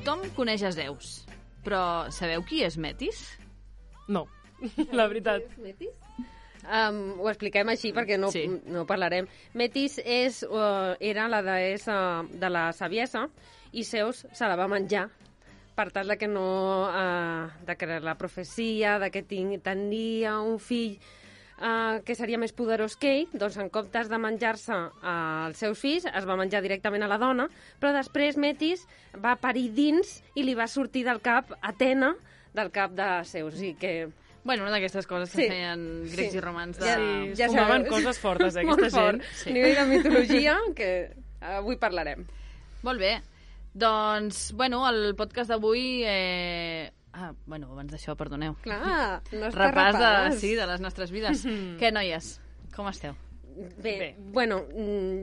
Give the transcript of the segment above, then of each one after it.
Tothom coneix Zeus, però sabeu qui és Metis? No, la veritat. Metis? Ho expliquem així perquè no parlarem. Metis era la deessa de la saviesa i Zeus se la va menjar per tal de que de que la profecia de que tenia un fill que seria més poderós que ell, doncs en comptes de menjar-se els seus fills, es va menjar directament a la dona, però després Metis va parir dins i li va sortir del cap Atena, del cap de Zeus, i que... Bueno, una d'aquestes coses que feien grecs i romans de... Ja fumaven coses fortes, aquesta gent. Sí. Nivell de mitologia, que avui parlarem. Molt bé. Doncs, bueno, el podcast d'avui... abans d'això, perdoneu. Clar, no està repàs de les nostres vides. Què, noies? Com esteu? Bé. Bueno...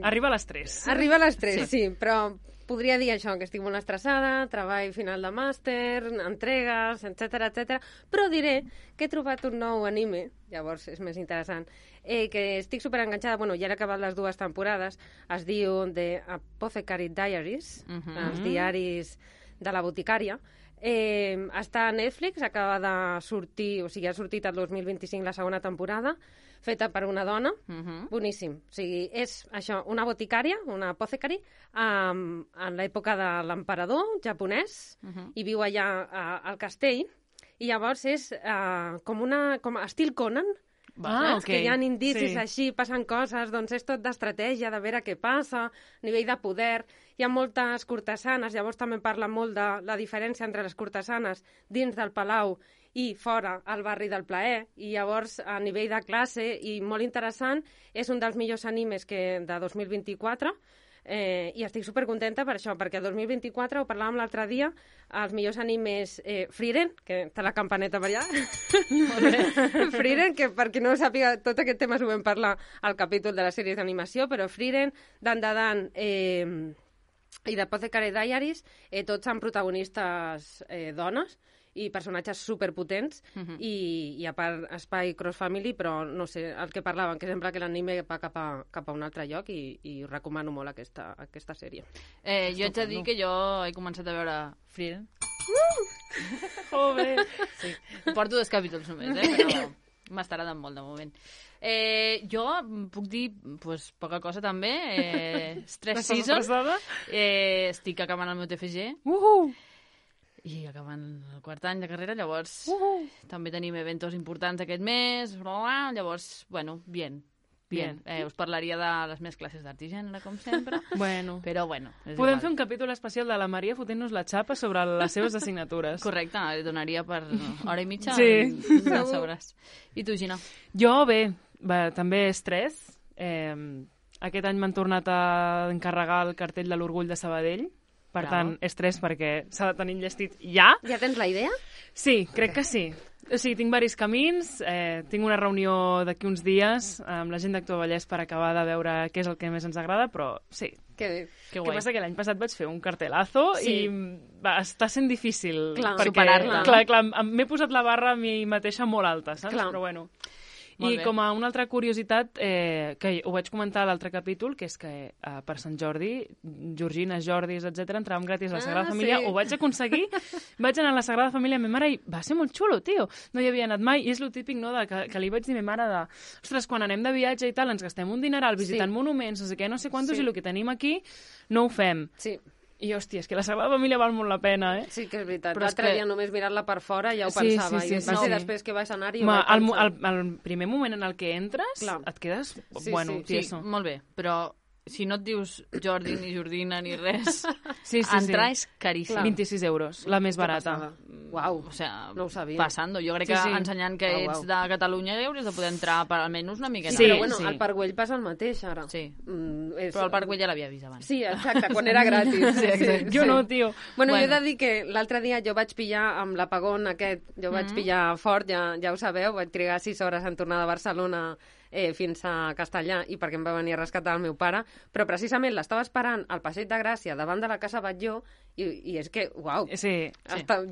Arriba a les 3. Arriba a les 3, sí, però podria dir això, que estic molt estressada, treball final de màster, entregues, etc. Però diré que he trobat un nou anime, llavors és més interessant, que estic superenganxada, bueno, ja he acabat les 2 temporades, es diu The Apothecary Diaries, els diaris de la boticària. Està a Netflix, acaba de sortir, o sigui, ha sortit el 2025 la segona temporada, feta per una dona, boníssim. O sigui, és això, una boticària, una apothecary, en l'època de l'emperador japonès, i viu allà al castell, i llavors és com estil Conan, que hi ha indicis així, passen coses, doncs és tot d'estratègia, de veure què passa, nivell de poder, hi ha moltes cortesanes, llavors també parla molt de la diferència entre les cortesanes dins del palau i fora al barri del plaer, i llavors a nivell de classe, i molt interessant, és un dels millors animes de 2024, i estic supercontenta per això, perquè el 2024, ho parlàvem l'altre dia, els millors animes Frieren, que té la campaneta per allà, Frieren, que per qui no ho sàpiga, tot aquest tema ho vam parlar al capítol de les sèries d'animació, però Frieren, Dan i The Apothecary Diaries, tots són protagonistes dones, i personatges superpotents, i a part espai cross-family, però no sé, el que parlaven, que sembla que l'anime va cap a un altre lloc, i recomano molt aquesta sèrie. Jo haig de dir que jo he començat a veure Frieren. Joder! Sí, porto 2 capítols només, però m'ha agradat molt de moment. Jo puc dir poca cosa també. Stress Season. Estic acabant el meu TFG. I acabant el 4 any de carrera, llavors també tenim eventos importants aquest mes, llavors, bueno, bien. Us parlaria de les meves classes d'art i gènere, com sempre, però bueno. Podem fer un capítol especial de la Maria fotent-nos la xapa sobre les seves assignatures. Correcte, li donaria per hora i mitja de sobres. I tu, Gina? Jo, bé, també estrès. Aquest any m'han tornat a encarregar el cartell de l'Orgull de Sabadell. Per tant, estrès perquè s'ha de tenir enllestit ja. Ja tens la idea? Sí, crec que sí. O sigui, tinc diversos camins, tinc una reunió d'aquí uns dies amb la gent d'Actua Vallès per acabar de veure què és el que més ens agrada, però sí. Que passa que l'any passat vaig fer un cartelazo i està sent difícil superar-la. Clar, m'he posat la barra a mi mateixa molt alta, saps? Però bueno... I com a una altra curiositat, que ho vaig comentar a l'altre capítol, que és que per Sant Jordi, Georgines, Jordis, etc entràvem gratis a la Sagrada Família, ho vaig aconseguir, vaig anar a la Sagrada Família amb ma mare i va ser molt xulo, tio. No hi havia anat mai, i és lo típic, no?, que li vaig dir a ma mare ostres, quan anem de viatge i tal, ens gastem un dineral visitant monuments, no sé què, no sé quantos, i el que tenim aquí no ho fem. Sí. I, hòstia, és que la Sagrada Família val molt la pena, Sí que és veritat. L'altre dia només mirar-la per fora ja ho pensava. I va ser després que vaig anar i ho vaig pensar. El primer moment en el que entres, et quedes... tieso. Molt bé, però si no et dius Jordi, ni Jordina, ni res, entrar és caríssim. 26 euros, la més barata. Uau, o sea, no ho sabia. Passando. Jo crec que ensenyant que ets de Catalunya hauries de poder entrar per almenys una miqueta. Però bueno, al Parc Güell passa el mateix ara. Sí, però el Parc Güell ja l'havia vist abans. Sí, exacte, quan era gratis. Jo no, tio. Bueno, jo he de dir que l'altre dia jo vaig pillar amb l'apagón aquest, jo vaig pillar fort, ja ho sabeu, vaig trigar 6 hores en tornar de Barcelona fins a Castellà, i perquè em va venir a rescatar el meu pare, però precisament l'estava esperant al Passeig de Gràcia, davant de la Casa Batlló, i és que, uau,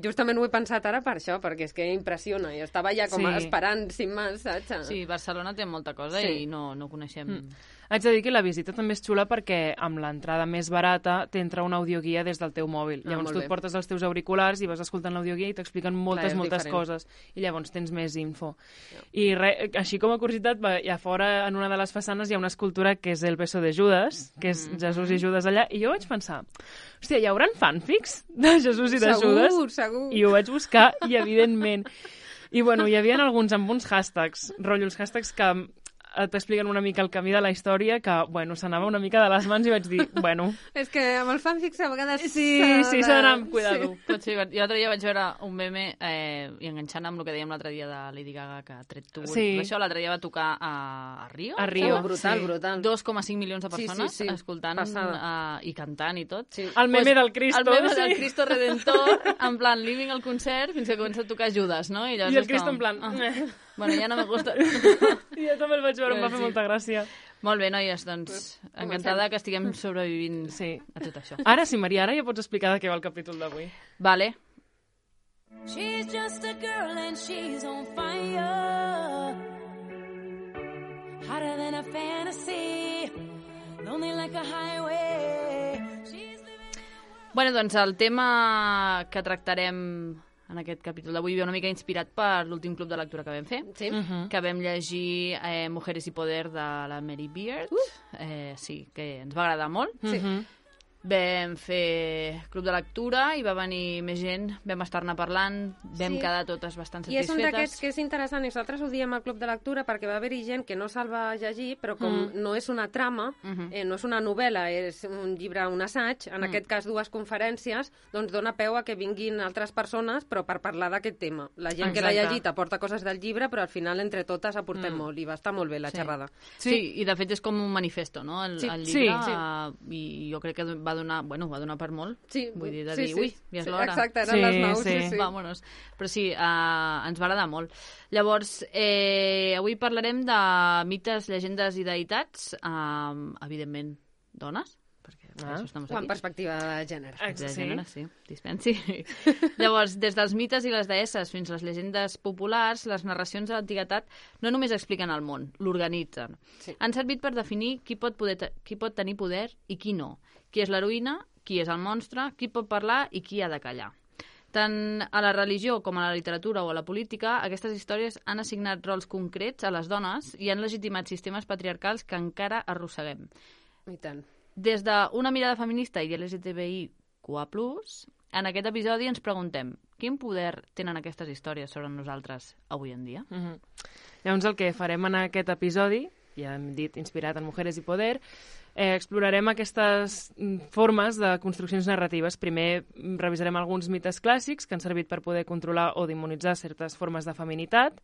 justament ho he pensat ara per això, perquè és que impressiona, i estava ja com esperant, sin más, saps? Sí, Barcelona té molta cosa i no coneixem. Haig de dir que la visita també és xula perquè amb l'entrada més barata t'entra una audioguia des del teu mòbil. Llavors tu et portes els teus auriculars i vas escoltant l'audioguia i t'expliquen moltes coses. I llavors tens més info. I així com a curiositat, a fora en una de les façanes hi ha una escultura que és el beso de Judas, que és Jesús i Judas allà, i jo vaig pensar, hòstia, hi hauran fanfics de Jesús i de Judas? Segur. I ho vaig buscar i evidentment. I bueno, hi havia alguns amb uns hashtags, rotllo, els hashtags que t'expliquen una mica el camí de la història, que, bueno, s'anava una mica de les mans i vaig dir, bueno... És que amb els fanfics a vegades... Sí, s'ha d'anar amb cuidado. Pot ser, jo l'altre dia vaig veure un meme i enganxant amb el que dèiem l'altre dia de Lady Gaga, que ha tret tu. Això l'altre dia va tocar a Rio. A Rio. Brutal. 2,5 milions de persones escoltant i cantant i tot. Sí. El meme del Cristo. El meme del Cristo Redentor, en plan, living el concert fins que comença a tocar Judas, no? I el Cristo en plan... Bueno, ja no me gusta. Jo també el vaig veure, em va fer molta gràcia. Molt bé, noies, doncs encantada que estiguem sobrevivint a tot això. Ara sí, Maria, ara ja pots explicar de què va el capítol d'avui. Vale. She's just a girl and she's on fire, hotter than a fantasy, lonely like a highway. Bueno, doncs el tema que tractarem en aquest capítol d'avui ve una mica inspirat per l'últim club de lectura que vam fer, que vam llegir Mujeres y Poder de la Mary Beard. Sí, que ens va agradar molt. Vam fer club de lectura i va venir més gent, vam estar-ne parlant, vam quedar totes bastant satisfetes. I és un d'aquests que és interessant, i nosaltres ho diem al club de lectura perquè va haver-hi gent que no se'l va llegir, però com no és una trama, no és una novel·la, és un llibre, un assaig, en aquest cas 2 conferències, doncs dona peu a que vinguin altres persones, però per parlar d'aquest tema. La gent que l'ha llegit aporta coses del llibre, però al final entre totes aportem molt, i va estar molt bé la xerrada. Sí, i de fet és com un manifesto, no?, el llibre, i jo crec que va donar per molt. Vull dir, ui, ja és l'hora. Exacte, eren les 9, Vámonos. Però sí, ens va agradar molt. Llavors, avui parlarem de mites, llegendes i deïtats, evidentment, dones, perquè això estem aquí. En perspectiva de gènere. De gènere, sí, dispensi. Llavors, des dels mites i les deesses fins a les llegendes populars, les narracions de l'antiguitat no només expliquen el món, l'organitzen. Han servit per definir qui pot tenir poder i qui no, qui és l'heroïna, qui és el monstre, qui pot parlar i qui ha de callar. Tant a la religió com a la literatura o a la política, aquestes històries han assignat rols concrets a les dones i han legitimat sistemes patriarcals que encara arrosseguem. I tant. Des d'una mirada feminista i LGTBIQA+, en aquest episodi ens preguntem quin poder tenen aquestes històries sobre nosaltres avui en dia? Llavors el que farem en aquest episodi, ja hem dit inspirat en Mujeres y Poder, explorarem aquestes formes de construccions narratives. Primer revisarem alguns mites clàssics que han servit per poder controlar o demonitzar certes formes de feminitat.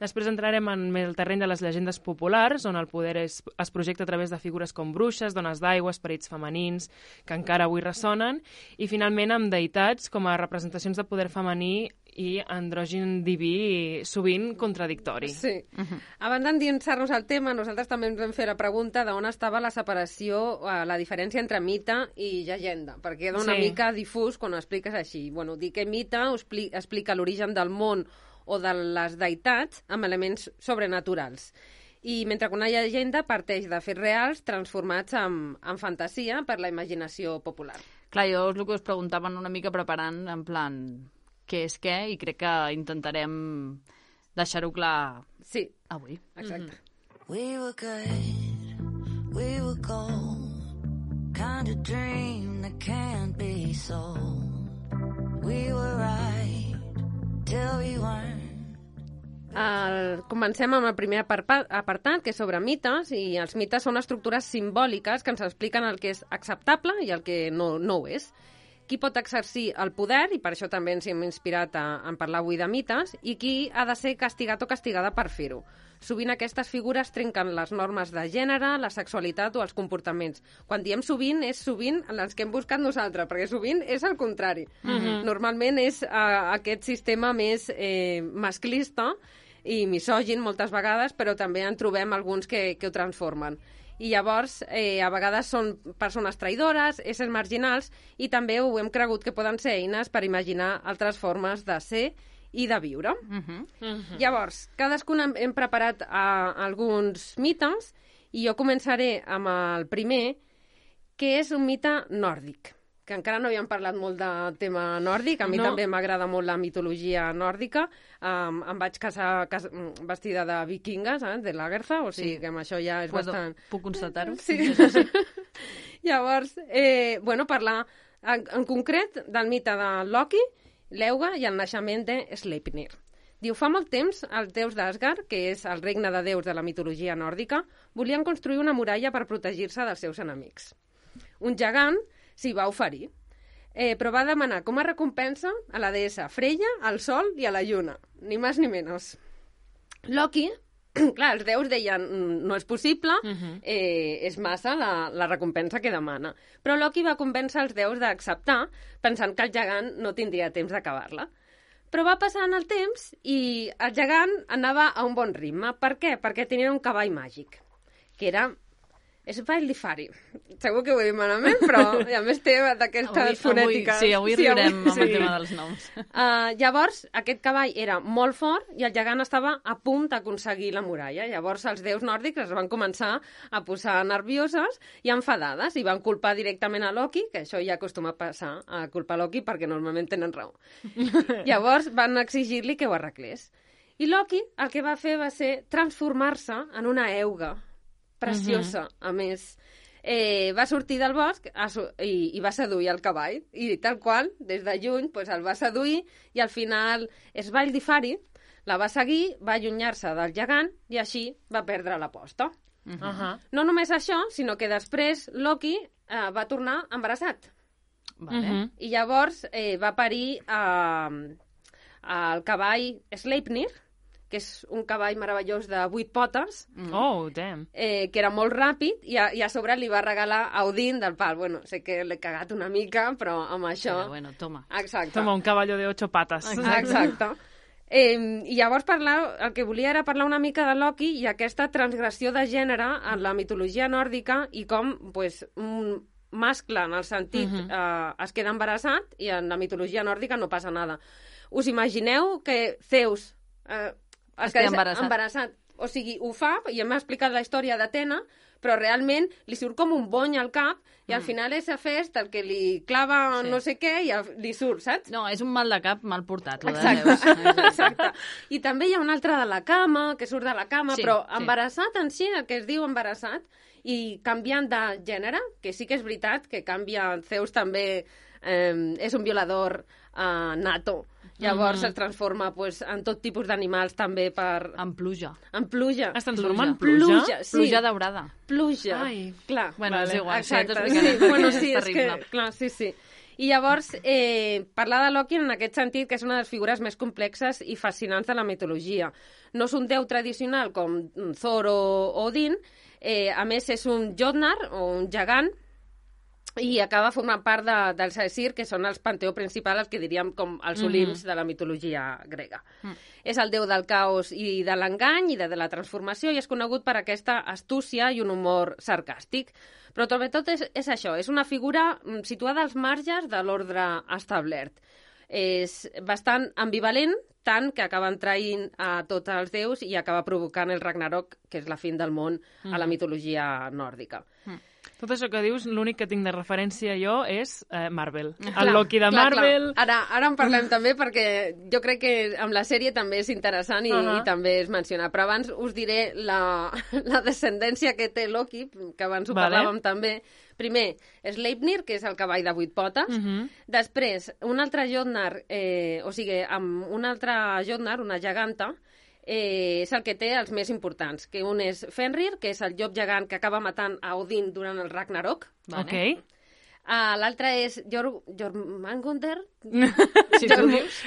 Després entrarem en el terreny de les llegendes populars, on el poder es projecta a través de figures com bruixes, dones d'aigua, esperits femenins, que encara avui ressonen, i finalment amb deïtats com a representacions de poder femení i andrògin diví, sovint contradictori. Sí. Abans d'endinsar-nos al tema, nosaltres també ens vam fer la pregunta d'on estava la separació, la diferència entre mite i llegenda, perquè queda una mica difús quan ho expliques així. Bueno, dir que mite explica l'origen del món o de les deïtats amb elements sobrenaturals. I mentre que una llegenda parteix de fets reals transformats en fantasia per la imaginació popular. Clar, jo el que us preguntaven una mica preparant, en plan, què és què, i crec que intentarem deixar-ho clar avui. Exacte. We were good, we were gold, kind of dream that can't be sold. We were right till we weren't. Comencem amb el primer apartat, que és sobre mites, i els mites són estructures simbòliques que ens expliquen el que és acceptable i el que no ho és. Qui pot exercir el poder, i per això també ens hem inspirat en parlar avui de mites, i qui ha de ser castigat o castigada per fer-ho. Sovint aquestes figures trenquen les normes de gènere, la sexualitat o els comportaments. Quan diem sovint, és sovint les que hem buscat nosaltres, perquè sovint és el contrari. Normalment és aquest sistema més masclista i misògin moltes vegades, però també en trobem alguns que ho transformen. I llavors, a vegades són persones traïdores, éssers marginals, i també ho hem cregut que poden ser eines per imaginar altres formes de ser i de viure. Llavors, cadascun hem preparat alguns mites I jo començaré amb el primer, que és un mite nòrdic, que encara no havíem parlat molt de tema nòrdic. A mi també m'agrada molt la mitologia nòrdica. Em vaig casar vestida de vikinga, saps? De Lagertha, o sigui que amb això ja és bastant... Puc constatar-ho? Sí. Llavors, parlar en concret del mite de Loki, l'Euga i el naixement de Sleipnir. Diu, fa molt temps, els déus d'Asgard, que és el regne de déus de la mitologia nòrdica, volien construir una muralla per protegir-se dels seus enemics. Un gegant s'hi va oferir, però va demanar com a recompensa a la deessa Freya, al sol i a la lluna, ni més ni menys. Loki, clar, els déus deien, no és possible, és massa la recompensa que demana. Però Loki va convèncer els déus d'acceptar, pensant que el gegant no tindria temps d'acabar-la. Però va passant el temps i el gegant anava a un bon ritme. Per què? Perquè tenia un cavall màgic, que era Svaldifari. Segur que ho he dit malament, però a més té d'aquestes fonètiques. Sí, avui riurem amb el tema dels noms. Llavors, aquest cavall era molt fort i el gegant estava a punt d'aconseguir la muralla. Llavors, els déus nòrdics es van començar a posar nervioses i enfadades i van culpar directament a Loki, que això ja acostuma a passar, a culpar Loki perquè normalment tenen raó. Llavors, van exigir-li que ho arreglés. I Loki el que va fer va ser transformar-se en una euga preciosa, a més. Va sortir del bosc i va seduir el cavall. I tal qual, des de lluny, el va seduir i al final Svaldifari la va seguir, va allunyar-se del gegant i així va perdre l'aposta. No només això, sinó que després Loki va tornar embarassat. I llavors va parir el cavall Sleipnir, que és un cavall meravellós de 8 potes, que era molt ràpid, i a sobre li va regalar a Odín del pal. Bueno, sé que l'he cagat una mica, però amb això... Però bueno, toma. Exacte. Toma, un caballo de 8 patas. Exacte. I llavors el que volia era parlar una mica de Loki i aquesta transgressió de gènere en la mitologia nòrdica i com un mascle, en el sentit, es queda embarassat i en la mitologia nòrdica no passa nada. Us imagineu que Zeus... es queda embarassat. O sigui, ho fa, i hem explicat la història d'Atena, però realment li surt com un bony al cap i al final és Hefest el que li clava no sé què i li surt, saps? No, és un mal de cap mal portat, Exacte. I també hi ha un altre de la cama, que surt de la cama, però embarassat en si, el que es diu embarassat, i canviant de gènere, que sí que és veritat que canvia, Zeus també és un violador nato. Llavors es transforma en tot tipus d'animals també per... En pluja. En pluja. Es transforma en pluja? Sí. Pluja daurada. Pluja. Ai. Clar. Bueno, és igual. Exacte. Sí, és que... Clar, sí. I llavors, parlar de Loki en aquest sentit, que és una de les figures més complexes i fascinants de la mitologia. No és un déu tradicional com Thor o Odin, a més és un Jotnar o un gegant, i acaba formant part dels Aesir, que són els panteó principal, els que diríem com els Olimps de la mitologia grega. És el déu del caos i de l'engany i de la transformació, i és conegut per aquesta astúcia i un humor sarcàstic. Però tot és això, és una figura situada als marges de l'ordre establert. És bastant ambivalent, tant que acaben traint a tots els déus i acaba provocant el Ragnarok, que és la fin del món a la mitologia nòrdica. Tot això que dius, l'únic que tinc de referència jo és Marvel. El Loki de Marvel... Ara en parlem també perquè jo crec que amb la sèrie també és interessant i també es menciona. Però abans us diré la descendència que té Loki, que abans ho parlàvem també. Primer, Sleipnir, que és el cavall de 8 potes. Després, un altre Jotnar, amb un altre Jotnar, una geganta, és el que té els més importants, que un és Fenrir, que és el llop gegant que acaba matant a Odin durant el Ragnarok. L'altre és Jormungandr,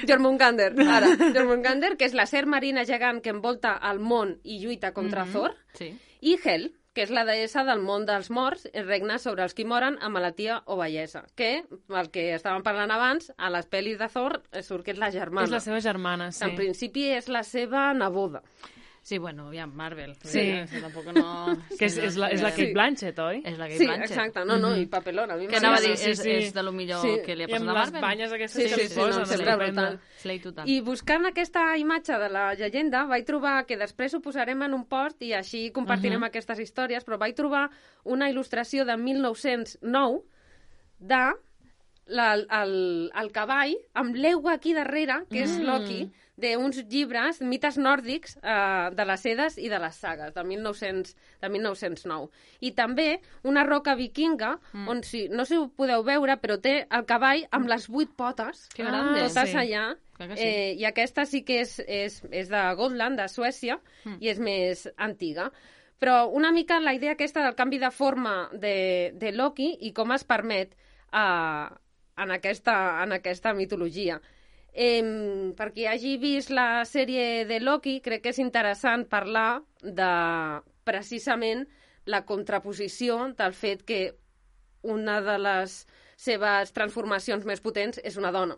Jormungandr, que és la serp marina gegant que envolta el món i lluita contra Thor. I Hel, que és la deessa del món dels morts, regna sobre els qui moren amb malaltia o vellesa, que, el que estàvem parlant abans, a les pel·lis de Thor surt que és la germana. És la seva germana, sí. En principi és la seva neboda. Sí, bueno, ja, Marvel. Sí. Tampoc no... Que és la Kate Blanchett, oi? És la Kate Sí, Blanchett. exacte. No, i papelona. Que anava a dir, és de lo millor que li ha I passat amb a les Marvel. banyes aquestes que li no, posen. sempre brutal. Slay total. I buscant aquesta imatge de la llegenda vaig trobar, que després ho posarem en un post i així compartirem aquestes històries, però vaig trobar una il·lustració de 1909 de el cavall amb l'eugua aquí darrere, que és Loki, d'uns llibres, mites nòrdics, de les Edes i de les sagues, de 1909. I també una roca vikinga, on, no sé si ho podeu veure, però té el cavall amb les 8 potes, Que grande. totes sí. allà. Sí. I aquesta sí que és de Gotland, de Suècia, i és més antiga. Però una mica la idea aquesta del canvi de forma de Loki i com es permet en aquesta mitologia. Per qui hagi vist la sèrie de Loki, crec que és interessant parlar de precisament la contraposició del fet que una de les seves transformacions més potents és una dona.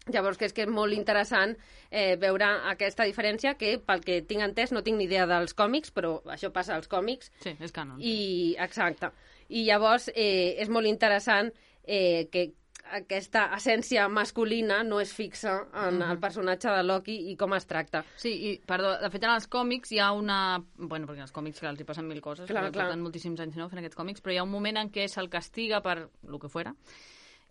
Llavors, que és molt interessant veure aquesta diferència, que pel que tinc entès, no tinc ni idea dels còmics, però això passa als còmics. Sí, és canon. Exacte. I llavors és molt interessant que aquesta essència masculina no és fixa en el personatge de Loki i com es tracta. Sí, i, perdó, de fet en els còmics hi ha una... Bueno, perquè en els còmics els hi passen mil coses, Clar. porten moltíssims anys fent aquests còmics, però hi ha un moment en què se'l castiga per lo que fuera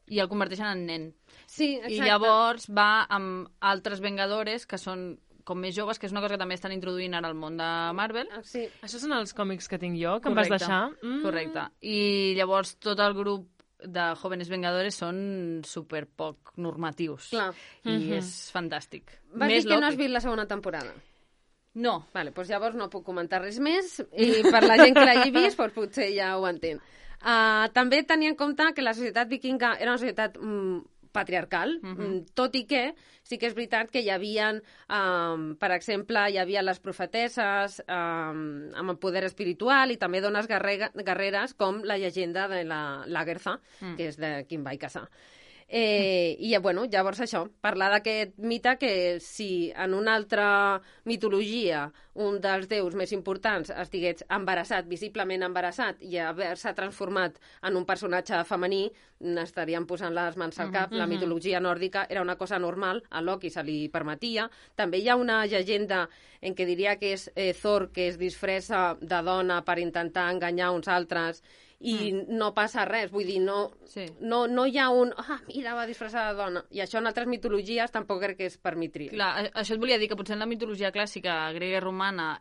i el converteixen en nen. Sí, exacte. I llavors va amb altres Vengadores que són com més joves, que és una cosa que també estan introduint ara al món de Marvel. Sí. Això són els còmics que tinc jo, que em vas deixar. Correcte. I llavors tot el grup de Jóvenes Vengadores són super poc normatius. Clar. I és fantàstic. Vas Més dir que no Loki. has vist la segona temporada. No. Vale, doncs llavors no puc comentar res més i per la gent que l'hagi vist doncs potser ja ho entén. També tenia en compte que la societat vikinga era una societat patriarcal, tot i que sí que és veritat que hi havia, per exemple, hi havia les profetesses amb el poder espiritual i també dones guerreres com la llegenda de la Lagertha, que és de qui em vaig casar. I bueno, llavors això, parlar d'aquest mite que si en una altra mitologia un dels déus més importants estigués embarassat, visiblement embarassat, i haver-se transformat en un personatge femení, n'estaríem posant les mans al cap. La mitologia nòrdica era una cosa normal, a Loki se li permetia. També hi ha una llegenda en què diria que és Thor, que es disfressa de dona per intentar enganyar uns altres, i no passa res, vull dir, no hi ha un mira, va disfressar de dona, i això en altres mitologies tampoc crec que es permetria. Clar, això et volia dir, que potser en la mitologia clàssica grega i romana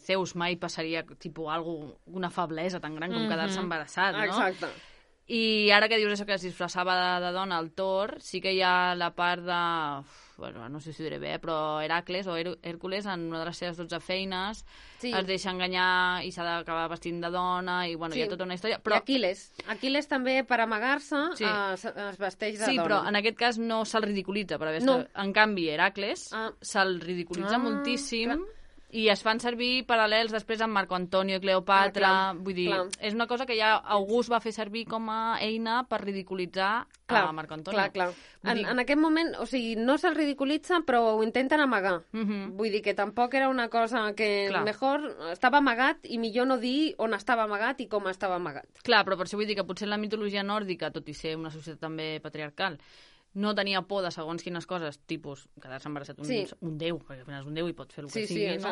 Zeus mai passaria una feblesa tan gran com quedar-se embarassat, no? Exacte. I ara que dius això, que es disfressava de dona al Thor, sí que hi ha la part de... Bueno, no sé si ho diré bé, però Heracles o Hèrcules, en una de les seves 12 feines, es deixa enganyar i s'ha d'acabar vestint de dona, i bueno, hi ha tota una història. Però... I Aquiles també, per amagar-se, es vesteix de dona. Sí, però en aquest cas no se'l ridiculitza. En canvi, Heracles se'l ridiculitza moltíssim. I es fan servir paral·lels després amb Marco Antonio i Cleopatra. Vull dir, és una cosa que ja August va fer servir com a eina per ridiculitzar a Marco Antonio. Clar. En aquest moment, o sigui, no se'l ridiculitza, però ho intenten amagar. Vull dir que tampoc era una cosa que mejor estava amagat i millor no dir on estava amagat i com estava amagat. Clar, però per això vull dir que potser la mitologia nòrdica, tot i ser una societat també patriarcal, no tenia por de segons quines coses, tipus quedar-se embarassat un déu, perquè al final és un déu i pot fer el que sigui, no?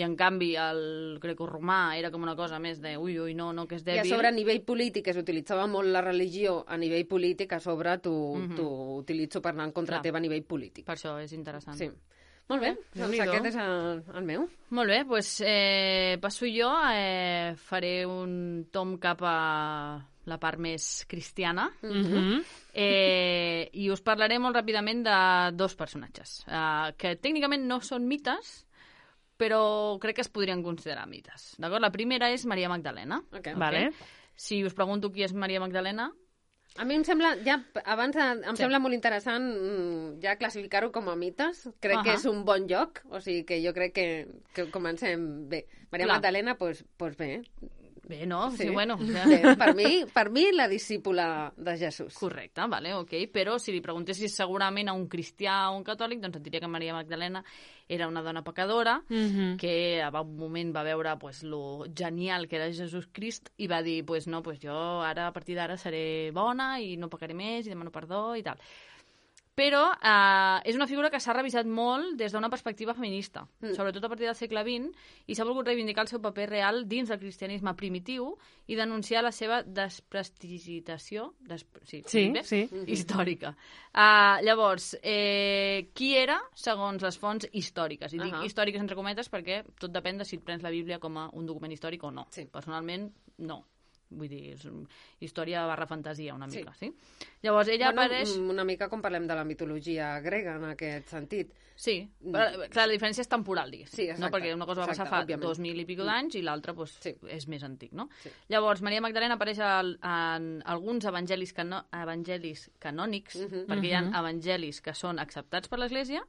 I en canvi el grecorromà era com una cosa més de ui, no, que és dèbil. I a sobre a nivell polític es utilitzava molt la religió a nivell polític, a sobre t'ho utilitzo per anar en contra teva a nivell polític. Per això és interessant. Sí. Molt bé, doncs aquest és el meu. Molt bé, doncs passo jo, faré un tom cap a la part més cristiana, i us parlaré molt ràpidament de dos personatges, que tècnicament no són mites, però crec que es podrien considerar mites. D'acord? La primera és Maria Magdalena. Vale. Si us pregunto qui és Maria Magdalena... A mi em sembla, sembla molt interessant ja classificar-ho com a mites. Crec que és un bon lloc, o sigui que jo crec que comencem bé. Maria Magdalena, doncs bé, Bé, no? Sí. Bueno. Bé, per mi, la discípula de Jesús. Correcte, vale, ok. Però si li preguntessis segurament a un cristià o un catòlic, doncs et diria que Maria Magdalena era una dona pecadora, que a un moment va veure pues, lo genial que era Jesús Crist i va dir, pues no, pues jo ara a partir d'ara seré bona i no pecaré més i demano perdó i tal. Però és una figura que s'ha revisat molt des d'una perspectiva feminista, sobretot a partir del segle XX, i s'ha volgut reivindicar el seu paper real dins del cristianisme primitiu i denunciar la seva desprestigitació històrica. Llavors, qui era segons les fonts històriques? I dic històriques entre cometes perquè tot depèn de si et prens la Bíblia com a un document històric o no. Sí. Personalment, no. Vull dir, és història barra fantasia una mica, sí? Llavors ella apareix... Una mica com parlem de la mitologia grega en aquest sentit. Sí, però, clar, la diferència és temporal, diguéssim. Sí, exacte. No? Perquè una cosa va passar fa 2.000 i pico d'anys i l'altra pues, és més antic, no? Sí. Llavors, Maria Magdalena apareix en alguns evangelis canònics, perquè hi ha evangelis que són acceptats per l'Església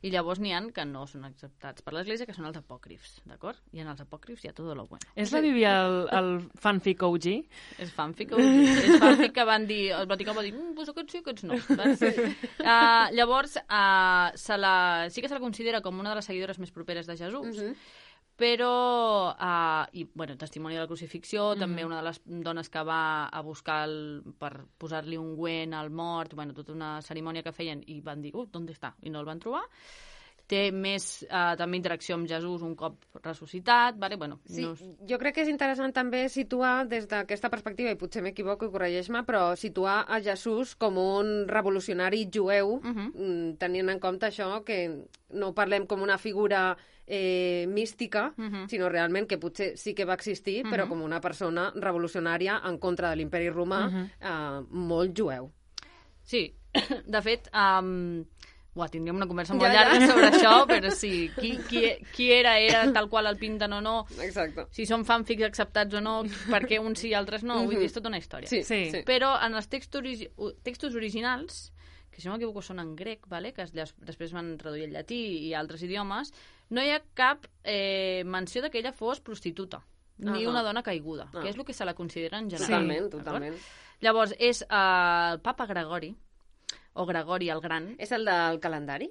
i llavors n'hi ha que no són acceptats per l'Església, que són els apòcrifs, d'acord? I en els apòcrifs hi ha tot lo bueno. És la Bíblia el fanfic OG? És fanfic OG. És fanfic que van dir, el Vaticà va dir, pues aquests sí, aquests no. Llavors, sí que se la considera com una de les seguidores més properes de Jesús, però, testimoni de la crucifixió, també una de les dones que va a buscar per posar-li un ungüent al mort, tota una cerimònia que feien i van dir, ¿dónde està? I no el van trobar. Té més també interacció amb Jesús un cop ressuscitat. Jo crec que és interessant també situar des d'aquesta perspectiva, i potser m'equivoco i corregeix-me, però situar a Jesús com un revolucionari jueu, tenint en compte això, que no parlem com una figura mística, sinó realment que potser sí que va existir, però com una persona revolucionària en contra de l'imperi romà, molt jueu. Sí, de fet... tindríem una conversa molt llarga sobre això, però sí, qui era tal qual el pinten o no, exacte. Si són fanfics acceptats o no, per què uns sí i altres no, vull dir, és tota una història. Sí. Però en els textos originals, que si no m'equivoco són en grec, que després van traduir al llatí i altres idiomes, no hi ha cap menció que ella fos prostituta, ni una dona caiguda, que és el que se la considera en general. Totalment. Llavors, és el papa Gregori, o Gregori el Gran. És el del calendari?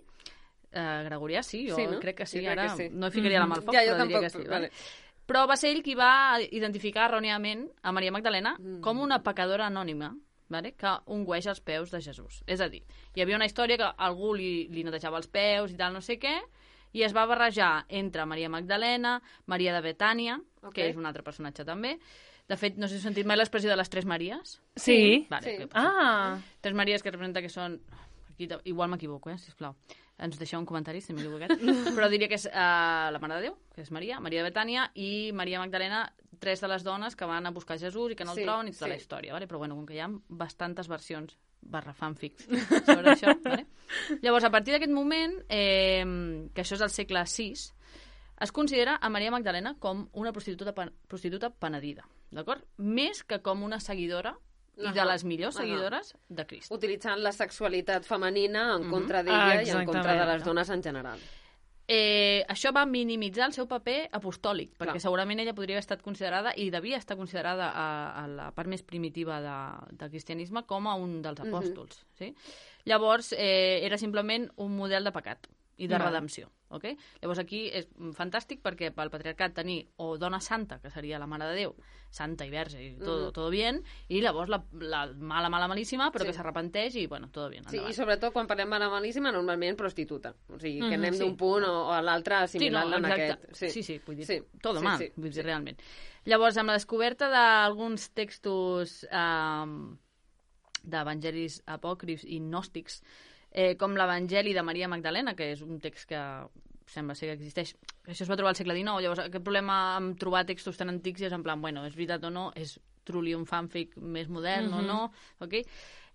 Gregorià, sí, jo no? Crec que sí. Jo ara que sí. No ficaria la mà al foc, però diria que sí. Vale. Però va ser ell qui va identificar erròniament a Maria Magdalena com una pecadora anònima, que ungüeix els peus de Jesús. És a dir, hi havia una història que algú li netejava els peus i tal, no sé què, i es va barrejar entre Maria Magdalena, Maria de Betània, que és un altre personatge també. De fet, no sé si heu sentit mai l'expressió de les Tres Maries. Sí. Vale, sí. Tres Maries que representa que són... Aquí, igual m'equivoco, sisplau. Ens deixeu un comentari, si m'he equivocat. Però diria que és la Mare de Déu, que és Maria de Betània, i Maria Magdalena, tres de les dones que van a buscar Jesús i que no el troben i tota la història. Vale? Però com que hi ha bastantes versions /fanfics sobre això. Vale? Llavors, a partir d'aquest moment, que això és el segle VI, es considera a Maria Magdalena com una prostituta penedida, d'acord? Més que com una seguidora i de les millors seguidores de Crist. Utilitzant la sexualitat femenina en contra d'ella i en contra de les dones en general. Això va minimitzar el seu paper apostòlic, perquè segurament ella podria haver estat considerada, i devia estar considerada a la part més primitiva del cristianisme, com a un dels apòstols. Sí? Llavors, era simplement un model de pecat i de redempció. Okay? Llavors aquí és fantàstic perquè pel patriarcat tenir o dona santa, que seria la Mare de Déu, santa i verge i todo bien, i llavors la malíssima, però que s'arrepenteix i, todo bien. Sí, i sobretot quan parlem malíssima, normalment prostituta. O sigui, que anem d'un punt o a l'altre assimilant-la en aquest. Sí, vull dir, todo mal, vull dir, realment. Llavors, amb la descoberta d'alguns textos d'evangelis apòcrifs i gnòstics, com l'Evangeli de Maria Magdalena, que és un text que sembla ser que existeix. Això es va trobar al segle XIX, llavors aquest problema amb trobar textos tan antics és en plan, és veritat o no, és truly un fanfic més modern o no, ok?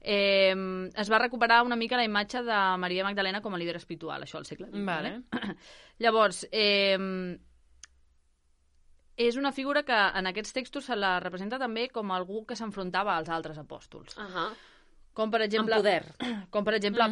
Es va recuperar una mica la imatge de Maria Magdalena com a líder espiritual, això al segle XX. Vale. Llavors, és una figura que en aquests textos se la representa també com algú que s'enfrontava als altres apòstols. Com, per exemple,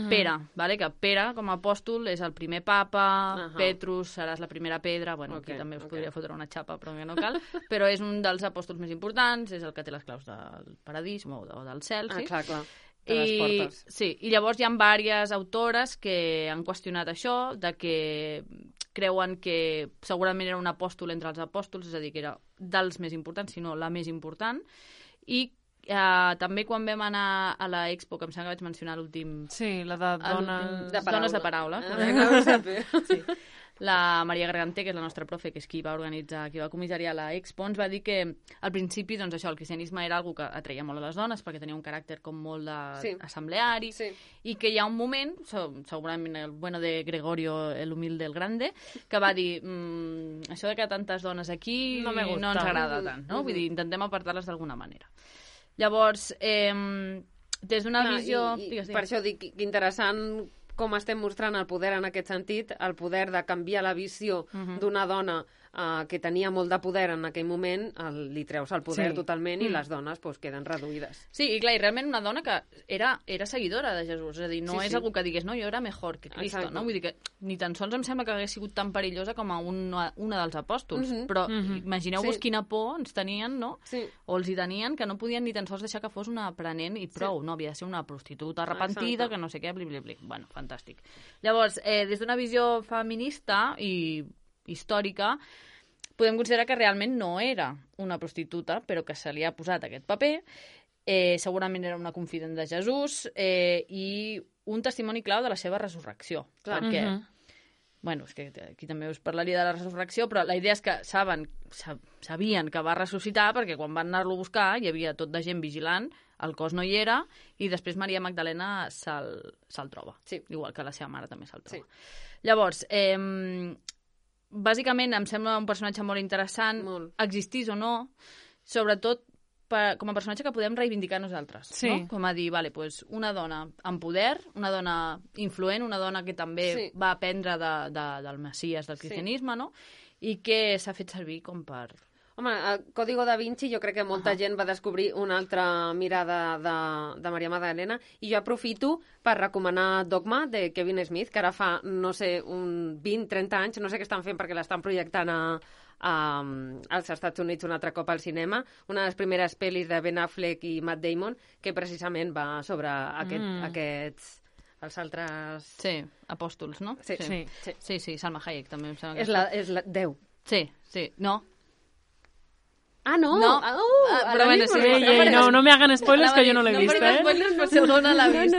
Pere, vale? Que Pere, com a apòstol, és el primer papa, Petrus seràs la primera pedra, bueno, aquí també us podria fotre una xapa, però que no cal, però és un dels apòstols més importants, és el que té les claus del paradís o del cel, sí? Clar. I llavors hi ha diverses autores que han qüestionat això, de que creuen que segurament era un apòstol entre els apòstols, és a dir, que era dels més importants, si no la més important, i també quan vam anar a la Expo, que em sembla que vaig mencionar l'últim... Sí, la de dones de paraula. Sí. La Maria Garganté, que és la nostra profe, que és qui va organitzar, qui va comissariar la Expo, ens va dir que al principi, doncs això, el cristianisme era algo que atreia molt a les dones, perquè tenia un caràcter com molt assembleari, i que hi ha un moment, segurament el bueno de Gregorio el Humilde el Grande, que va dir, això de que tantes dones aquí no ens agrada tant, no? Vull dir, intentem apartar-les d'alguna manera. Llavors, des d'una visió... Per això dic que interessant com estem mostrant el poder en aquest sentit, el poder de canviar la visió d'una dona que tenia molt de poder en aquell moment, li treus el poder totalment i les dones queden reduïdes. Sí, i clar, i realment una dona que era seguidora de Jesús, és a dir, no és algú que digués, no, jo era mejor que Cristo, no? Vull dir que ni tan sols em sembla que hagués sigut tan perillosa com a una dels apòstols, però imagineu-vos quina por ens tenien, no? O els hi tenien, que no podien ni tan sols deixar que fos una aprenent i prou, no? Havia de ser una prostituta arrepentida, que no sé què, bli. Bueno, fantàstic. Llavors, des d'una visió feminista i històrica, podem considerar que realment no era una prostituta, però que se li ha posat aquest paper. Segurament era una confident de Jesús i un testimoni clau de la seva resurrecció. Clar. Perquè, bueno, és que aquí també us parlaria de la resurrecció, però la idea és que sabien que va ressuscitar perquè quan van anar-lo a buscar hi havia tot de gent vigilant, el cos no hi era, i després Maria Magdalena se'l troba. Sí. Igual que la seva mare també se'l troba. Sí. Llavors, bàsicament em sembla un personatge molt interessant, existís o no, sobretot com a personatge que podem reivindicar nosaltres. Sí. No? Com a dir, una dona amb poder, una dona influent, una dona que també va aprendre del Messies, del cristianisme, no? I que s'ha fet servir com per... Home, el Código da Vinci jo crec que molta gent va descobrir una altra mirada de Maria Magdalena i jo aprofito per recomanar Dogma de Kevin Smith, que ara fa, no sé, 20-30 anys, no sé què estan fent perquè l'estan projectant als Estats Units un altre cop al cinema, una de les primeres pel·lis de Ben Affleck i Matt Damon, que precisament va sobre aquests... els altres... Sí, apòstols, no? Sí, Salma Hayek també em sembla que... És la 10. Sí, no. Ah, no? Però bueno, sí. No me hagan spoilers, que jo no l'he vist, No spoilers, però si algú no l'ha vist.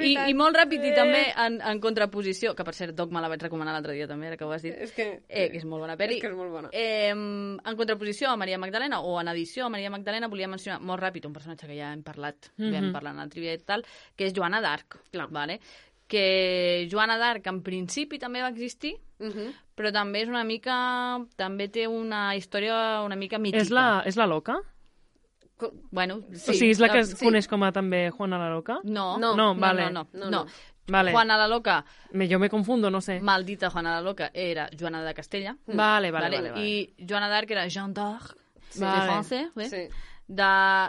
I molt ràpid, i també en contraposició, que per cert, Dogma la vaig recomanar l'altre dia també, ara que ho has dit, que és molt bona pel·li. És que és molt bona. En contraposició a Maria Magdalena, o en edició a Maria Magdalena, volia mencionar molt ràpid un personatge que ja hem parlat, vam parlar en el trivia i tal, que és Joana d'Arc, vale? Que Joana d'Arc en principi també va existir, però també és una mica... també té una història una mica mítica. És la loca? Bueno, sí. O sigui, és la que es coneix com a també Juana la Loca? No. Vale. Juana la Loca... Jo me confundo, no sé. Maldita Juana la Loca era Joana de Castella. Vale. I Joana d'Arc era Jeanne d'Arc, de France,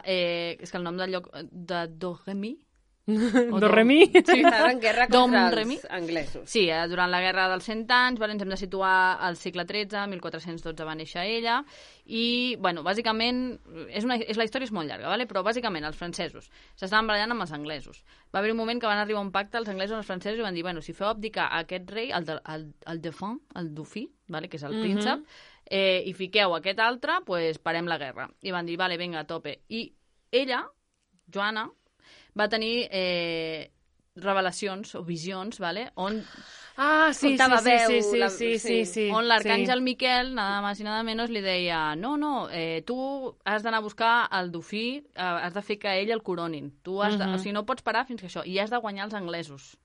és que el nom del lloc de Doremi, Doremi? Sí, estava en guerra contra els anglesos. Sí, durant la guerra dels 100 anys, ens hem de situar al segle XIII, 1412 va néixer ella, i, bueno, bàsicament, la història és molt llarga, però bàsicament els francesos s'estaven barallant amb els anglesos. Va haver un moment que van arribar a un pacte els anglesos i els francesos i van dir, si feu abdicar a aquest rei, el Dauphin, que és el príncep, i fiqueu aquest altre, doncs parem la guerra. I van dir, vinga, a tope. I ella, Joana, va tenir revelacions o visions, on on l'arcàngel Miquel, nada más y nada menos, li deia, tu has d'anar a buscar el dofí, has de fer que ell el coronin. Tu has o sigui, no pots parar fins que això, i has de guanyar els anglesos.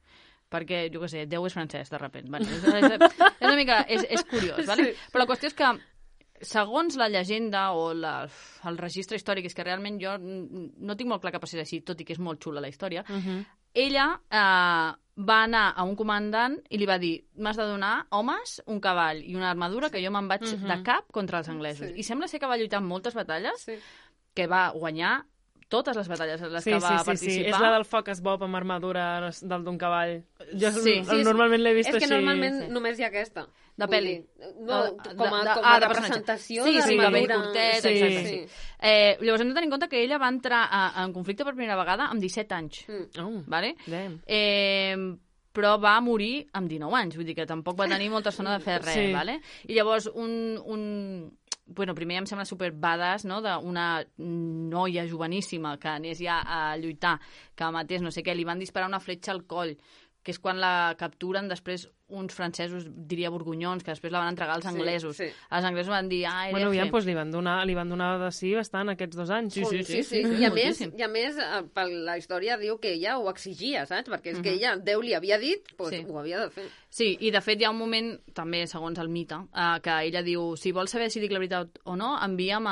Perquè, jo què sé, Déu és francès, de repent. És una mica... És curiós, vale? Però la qüestió és que segons la llegenda o el registre històric, és que realment jo no tinc molt clar que passés així, tot i que és molt xula la història, ella va anar a un comandant i li va dir, m'has de donar homes, un cavall i una armadura que jo me'n vaig de cap contra els anglesos. I sembla ser que va lluitar en moltes batalles, que va guanyar totes les batalles en les que va participar. Sí, és la del Focus Bob amb armadura d'un cavall. Jo normalment l'he vist així. És que normalment només hi ha aquesta. De pel·li. Com a representació d'armadura. Curtet, sí. Llavors hem de tenir en compte que ella va entrar en conflicte per primera vegada amb 17 anys. Vale? Però va morir amb 19 anys, vull dir que tampoc va tenir molta estona de fer res, vale? I llavors bueno, primer em sembla super badass, no?, d'una noia joveníssima que anés ja a lluitar, que matés no sé què, li van disparar una fletxa al coll, que és quan la capturen després uns francesos, diria borgonyons, que després la van entregar als anglesos. Sí. Els anglesos van dir, bueno, ja, doncs li van donar de sí bastant aquests 2 anys. Sí. I a més, per la història diu que ella ho exigia, saps? Perquè és que ella, Déu li havia dit, doncs ho havia de fer. Sí, i de fet hi ha un moment, també segons el mite, que ella diu, si vols saber si dic la veritat o no, envia'm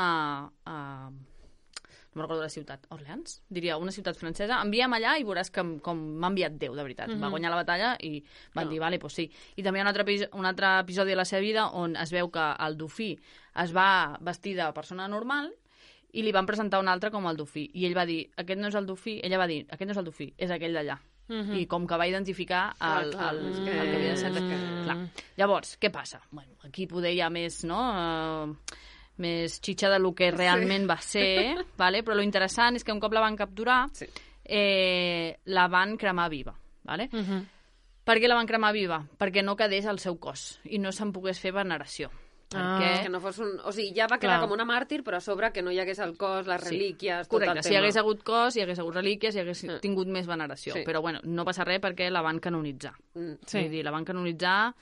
no recordo la ciutat, Orleans? Diria, una ciutat francesa. Envia'm allà i veuràs com m'ha enviat Déu, de veritat. Va guanyar la batalla i van dir, vale, doncs sí. I també hi ha un altre episodi de la seva vida on es veu que el dofí es va vestir de persona normal i li van presentar un altre com el dofí. I ell va dir, aquest no és el dofí. Ella va dir, aquest no és el dofí, és aquell d'allà. I com que va identificar el que havia de ser. Clar. Llavors, què passa? Bueno, aquí poder hi ha més, no?, més xitxa del que realment va ser, vale? Però lo interessant és que un cop la van capturar, la van cremar viva. Vale? Per què la van cremar viva? Perquè no quedés al seu cos i no se'n pogués fer veneració. Que no fos o sigui, ja va quedar com una màrtir, però a sobre que no hi hagués el cos, les relíquies, tot el tema. Si hi hagués hagut cos, hi hagués hagut relíquies, hi hagués tingut més veneració. Però bueno, no passa res perquè la van canonitzar. Vull dir, la van canonitzar...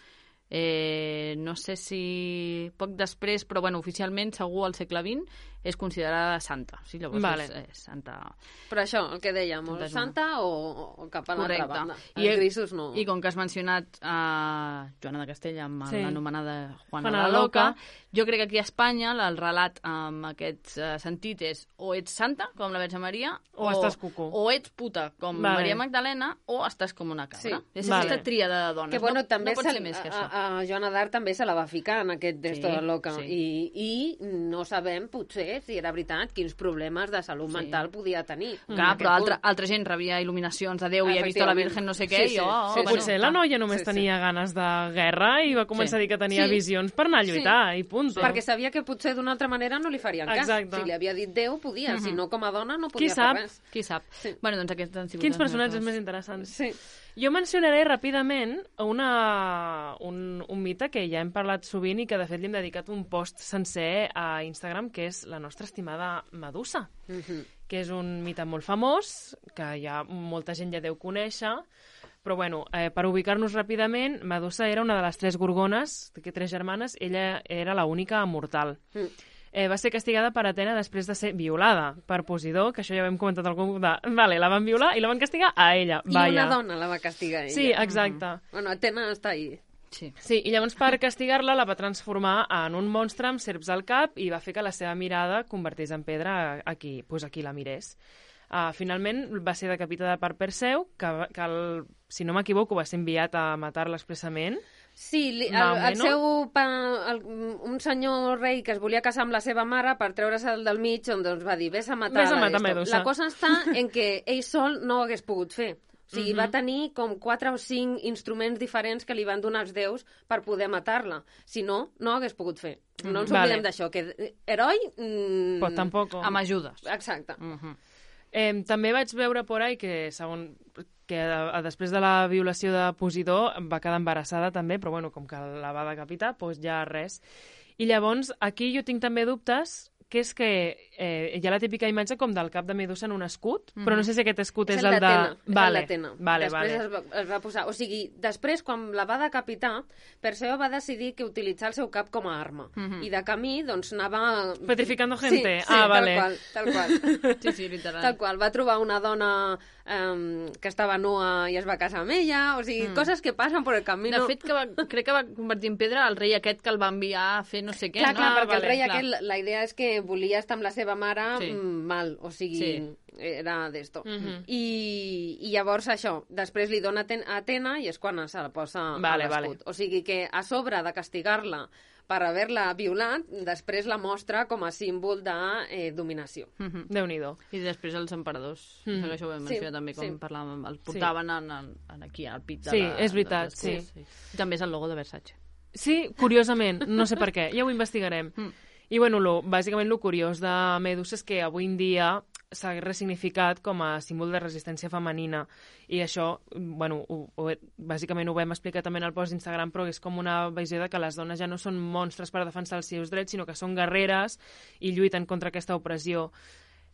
no sé si poc després, però bueno, oficialment segur al segle XX és considerada santa. Sí, llavors és santa. Però això, el que dèiem, o santa o cap a l'altra banda. Els grisos no. I com que has mencionat Joana de Castella amb l'anomenada Juana la Loca, jo crec que aquí a Espanya el relat amb aquest sentit és o ets santa, com la Verge Maria, o estàs cucú. O ets puta, com Maria Magdalena, o estàs com una cabra. És aquesta tríada de dones. Que bueno, també no pot ser més que això. A Joana d'Arc també se la va ficar en aquest d'esto de loca. I no sabem, potser, si era veritat, quins problemes de salut mental podia tenir. Clar, però altra gent rebia il·luminacions de Déu i ha vist la Virgen no sé què. Potser la noia només tenia ganes de guerra i va començar a dir que tenia visions per anar a lluitar, i punt. Perquè sabia que potser d'una altra manera no li farien cas. Si li havia dit Déu, podia. Si no, com a dona, no podia fer res. Qui sap? Bueno, doncs aquests han sigut... Quins personatges més interessants. Jo mencionaré ràpidament un mite que ja hem parlat sovint i que de fet li hem dedicat un post sencer a Instagram, que és la nostra estimada Medusa, que és un mite molt famós, que ja molta gent ja deu conèixer, però bueno, per ubicar-nos ràpidament, Medusa era una de les 3 gorgones, de 3 germanes, ella era l'única mortal. Va ser castigada per Atena després de ser violada per Posidó, que això ja ho hem comentat algun cop Vale, la van violar i la van castigar a ella. I una dona la va castigar a ella. Sí, exacte. Bueno, Atena està ahí. Sí, i llavors per castigar-la la va transformar en un monstre amb serps al cap i va fer que la seva mirada convertís en pedra aquí la mirés. Finalment va ser decapitada per Perseu, que si no m'equivoco va ser enviat a matar-la expressament. Sí, un senyor rei que es volia casar amb la seva mare per treure'l del mig, doncs va dir, vés a matar Medusa. La cosa està en que ell sol no ho hagués pogut fer. O sigui, va tenir com 4 o 5 instruments diferents que li van donar els déus per poder matar-la. Si no, no ho hagués pogut fer. No ens oblidem d'això, que heroi... Pues tampoc. Amb ajudes. Exacte. També vaig veure por ahí que després de la violació de Posidó va quedar embarassada també, però bueno, com que la va decapitar, doncs ja res. I llavors, aquí jo tinc també dubtes, que és que hi ha la típica imatge com del cap de Medusa en un escut, però no sé si aquest escut és el de... És el d'Atena. Després es va posar... O sigui, després, quan la va decapitar, Perseu va decidir que utilitzar el seu cap com a arma. I de camí, doncs, anava... Petrificando gente. Sí, tal qual. Sí, literal. Tal qual. Va trobar una dona que estava nua i es va casar amb ella, o sigui, coses que passen per el camí. De fet, crec que va convertir en pedra el rei aquest que el va enviar a fer no sé què. Clar, perquè el rei aquest, la idea és que que volia estar amb la seva mare mal, o sigui, era d'esto. I llavors això, després li dona a Atena i és quan se la posa a l'escut. O sigui que a sobre de castigar-la per haver-la violat, després la mostra com a símbol de dominació. Déu-n'hi-do. I després els emperadors, això ho vam mencionar també, com parlàvem, el portaven aquí al pit de Sí, és veritat, sí. També és el logo de Versace. Sí, curiosament, no sé per què, ja ho investigarem. I bueno, bàsicament el curiós de Medusa és que avui en dia s'ha ressignificat com a símbol de resistència femenina i això, bueno, bàsicament ho vam explicar també en el post d'Instagram, però és com una visió de que les dones ja no són monstres per defensar els seus drets, sinó que són guerreres i lluiten contra aquesta opressió.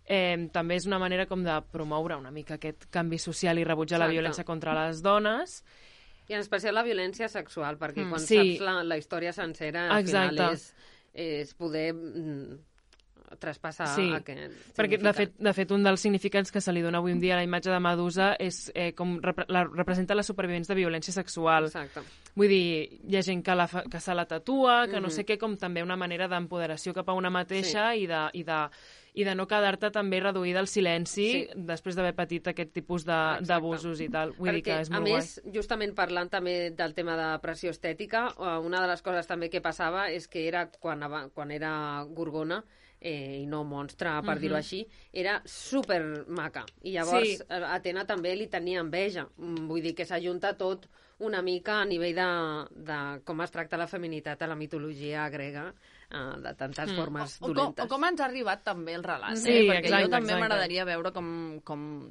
També és una manera com de promoure una mica aquest canvi social i rebutjar la violència contra les dones. I en especial la violència sexual, perquè quan saps la història sencera, al final és poder traspassar aquest significat. Perquè, de fet, un dels significats que se li dona avui en dia a la imatge de Medusa és com representa les supervivents de violència sexual. Exacte. Vull dir, hi ha gent que se la tatua, que no sé què, com també una manera d'empoderació cap a una mateixa i de no quedar-te també reduïda al silenci després d'haver patit aquest tipus d'abusos i tal. Vull dir que és molt guai. A més, justament parlant també del tema de pressió estètica, una de les coses també que passava és que era quan era Gorgona, i no monstre, per dir-ho així, era super maca. I llavors Atena també li tenia enveja. Vull dir que s'ajunta tot una mica a nivell de com es tracta la feminitat a la mitologia grega, de tantes formes dolentes. O com ens ha arribat també el relat, perquè jo també m'agradaria veure com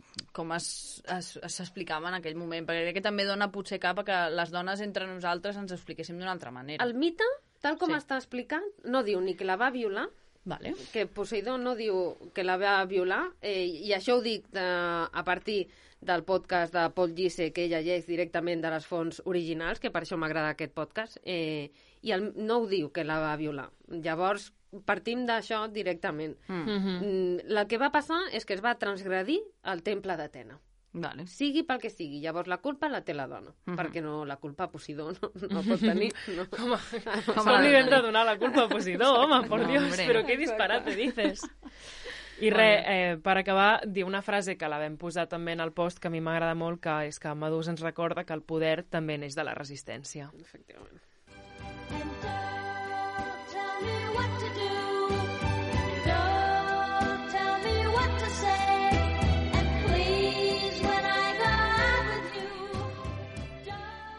s'explicava en aquell moment, perquè crec que també dona potser cap a que les dones entre nosaltres ens expliquéssim d'una altra manera. El mite, tal com està explicat, no diu ni que la va violar, que Poseidó no diu que la va violar, i això ho dic a partir del podcast de Paul Gise, que ella llegeix directament de les fonts originals, que per això m'agrada aquest podcast, i no ho diu que la va violar. Llavors, partim d'això directament. El que va passar és que es va transgredir el temple d'Atena. Sigui pel que sigui. Llavors la culpa la té la dona, perquè la culpa a Posidó no pot tenir. Com li hem de donar la culpa a Posidó, home, por Dios, però què disparate dices? I per acabar, dir una frase que la vam posar també en el post, que a mi m'agrada molt, que és que Medusa ens recorda que el poder també neix de la resistència. Efectivament.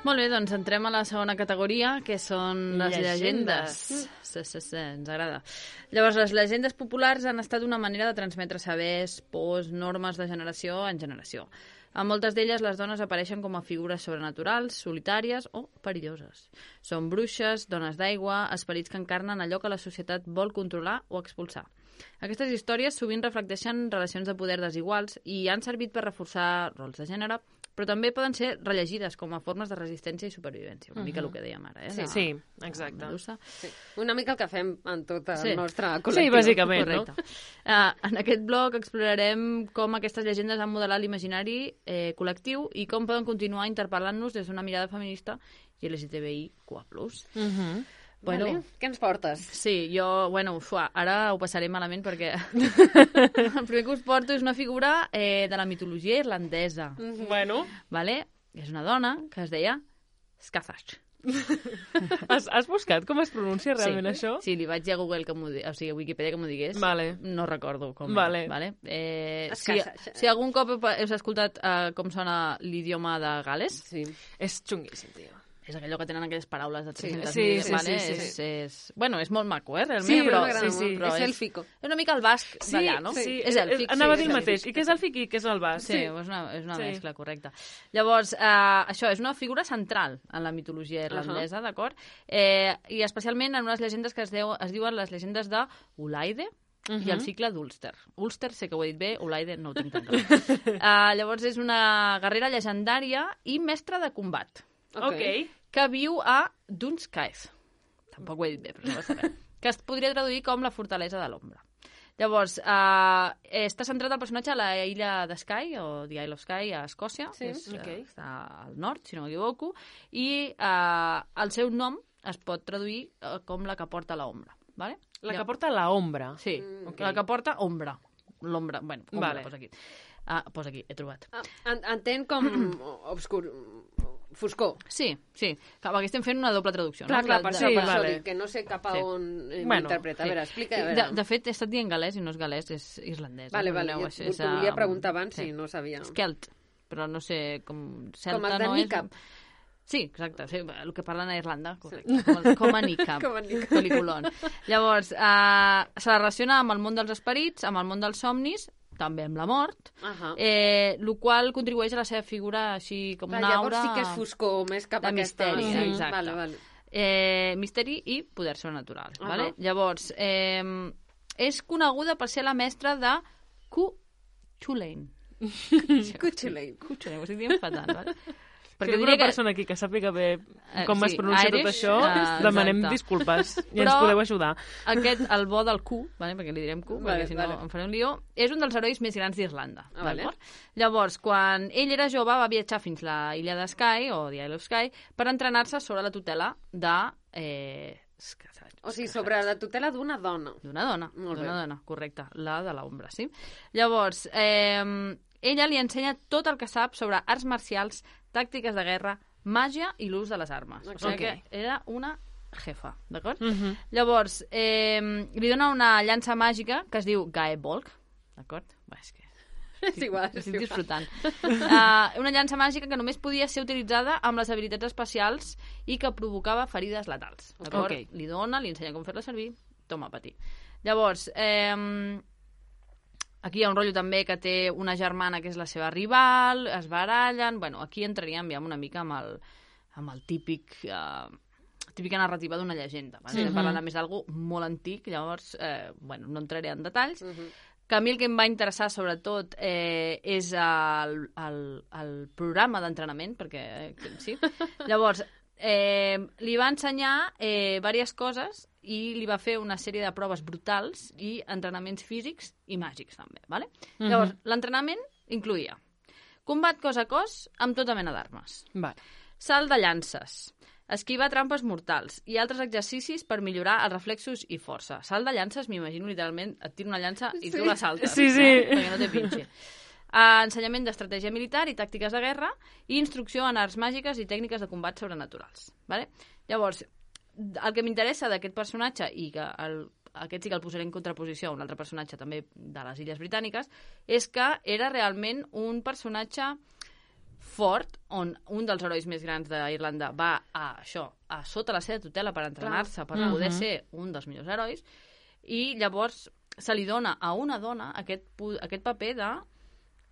Molt bé, doncs entrem a la segona categoria, que són les llegendes. Sí, ens agrada. Llavors, les llegendes populars han estat una manera de transmetre sabers, pors, normes de generació en generació. En moltes d'elles, les dones apareixen com a figures sobrenaturals, solitàries o perilloses. Són bruixes, dones d'aigua, esperits que encarnen allò que la societat vol controlar o expulsar. Aquestes històries sovint reflecteixen relacions de poder desiguals i han servit per reforçar rols de gènere, però també poden ser rellegides com a formes de resistència i supervivència, una mica el que dèiem ara. Sí, exacte. Una mica el que fem en tot el nostre col·lectiu. Sí, bàsicament, no? En aquest blog explorarem com aquestes llegendes han modelat l'imaginari col·lectiu i com poden continuar interpel·lant-nos des d'una mirada feminista i LGTBIQ+. Bueno, què ens portes? Sí, jo, ara ho passaré malament perquè el primer que us porto és una figura de la mitologia irlandesa. Bueno. Vale? És una dona que es deia Scathach. Has buscat com es pronuncia realment això? Sí, li vaig dir a Google, a Wikipedia que m'ho digués. Vale. No recordo com. Vale. Si algun cop heu escoltat com sona l'idioma de Gal·les, és xunguíssim, tio. És allò que tenen aquelles paraules de 300.000, sí. Bueno, és molt maco, realment, sí, però és élfico. És una mica el basc d'allà, no? Sí, és èlfic. Anava a dir el mateix. I què és èlfic i què és el basc? Sí, és una mescla correcta. Llavors, això és una figura central en la mitologia irlandesa, d'acord? I especialment en unes llegendes que es diuen les llegendes de Ulaide, i el cicle d'Ulster. Ulster sé que ho he dit bé, Ulaide no ho tinc tan clar. Llavors és una guerrera llegendària i mestra de combat. Que viu a Dunskaith. Tampoc ho he dit bé, però no passa res. Que es podria traduir com la fortalesa de l'ombra. Llavors, està centrat el personatge a la illa de Skye, o The Isle of Skye, a Escòcia. Està al nord, si no m'equivoco. I el seu nom es pot traduir com la que porta l'ombra. Vale? La que porta l'ombra. Sí, la que porta ombra. L'ombra, bueno, ombra, Vale. posa aquí. Posa aquí, he trobat. Entenc com obscur... Foscor. Sí, clar, perquè estem fent una doble traducció. Clar, no? per sí, això vale. dic que no sé cap a on Bueno, interpreta. A veure, explica. A De veure. fet, he estat dient galès i no és galès, és irlandès. Vale, Perdoneu, jo t'ho volia preguntar abans si no sabia. És celt, però no sé com... Celta Com el de no Niqab. Sí, exacte, sí, el que parlen a Irlanda, correcte, com a Niqab, Com a Niqab. pel·liculon. Llavors, se la relaciona amb el món dels esperits, amb el món dels somnis, també amb la mort, el qual contribueix a la seva figura així com una llavors aura... sí que és foscor, més cap a de aquesta... misteri, exacte. Vale. Misteri i poder sobrenatural. Vale? Llavors, és coneguda per ser la mestra de Cuchulainn. Cuchulainn. Ho estic dient fatal, vale? Perquè una persona aquí que sàpiga bé com es pronuncia tot això, demanem disculpes i ens podeu ajudar. Aquest, el bo del Q, vale? Perquè li direm Q, perquè si no em faré un lío, és un dels herois més grans d'Irlanda. Llavors, quan ell era jove, va viatjar fins a l'illa de Skye, o The Isle of Skye, per entrenar-se sobre la tutela de... O sigui, sobre la tutela d'una dona. D'una dona, correcte, la de l'ombra, sí? Llavors, ella li ensenya tot el que sap sobre arts marcials, tàctiques de guerra, màgia i l'ús de les armes. O sigui que era una jefa, d'acord? Llavors, li dona una llança màgica que es diu Gaebolg, d'acord? És que... És igual. Estic disfrutant. Una llança màgica que només podia ser utilitzada amb les habilitats especials i que provocava ferides letals. D'acord? Li dona, li ensenya com fer-la servir, toma, patir. Llavors, aquí hi ha un rotllo també que té una germana que és la seva rival, es barallen... Bueno, aquí entraríem ja una mica amb el típica narrativa d'una llegenda. Estem parlant a més d'algú molt antic, llavors, no entraré en detalls. Que a mi el que em va interessar, sobretot, és el programa d'entrenament, perquè sí. Llavors, li va ensenyar diverses coses i li va fer una sèrie de proves brutals i entrenaments físics i màgics, també. Vale? Llavors, l'entrenament incloïa combat cos a cos amb tota mena d'armes, salt de llances, esquivar trampes mortals i altres exercicis per millorar els reflexos i força. Salt de llances, m'imagino literalment, et tiro una llança i tu la saltes. Sí. Perquè no té pinxi. Ensenyament d'estratègia militar i tàctiques de guerra i instrucció en arts màgiques i tècniques de combat sobrenaturals. Vale? Llavors, el que m'interessa d'aquest personatge, i que aquest sí que el posaré en contraposició a un altre personatge també de les Illes Britàniques, és que era realment un personatge fort, on un dels herois més grans d'Irlanda va a sota la seva tutela per entrenar-se, per poder ser un dels millors herois, i llavors se li dona a una dona aquest paper de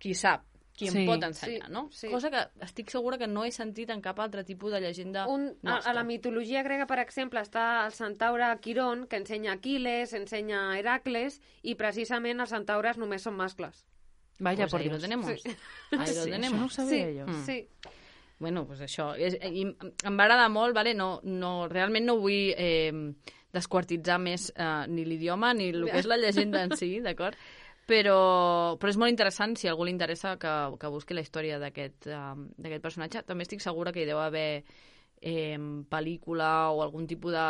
qui sap, qui em pot ensenyar, no? Cosa que estic segura que no he sentit en cap altre tipus de llegenda nostra. A la mitologia grega, per exemple, està el centaure Quirón, que ensenya Aquiles, ensenya Heracles, i precisament els centaures només són mascles. Vaya, pues ahí lo tenemos. Sí. Ahí lo tenemos. Això no ho sabia jo. Sí. Bueno, pues això. I em va agradar molt, vale? Realment no vull desquartitzar més ni l'idioma ni el que és la llegenda en si, d'acord? Però és molt interessant, si a algú li interessa, que busqui la història d'aquest personatge. També estic segura que hi deu haver pel·lícula o algun tipus de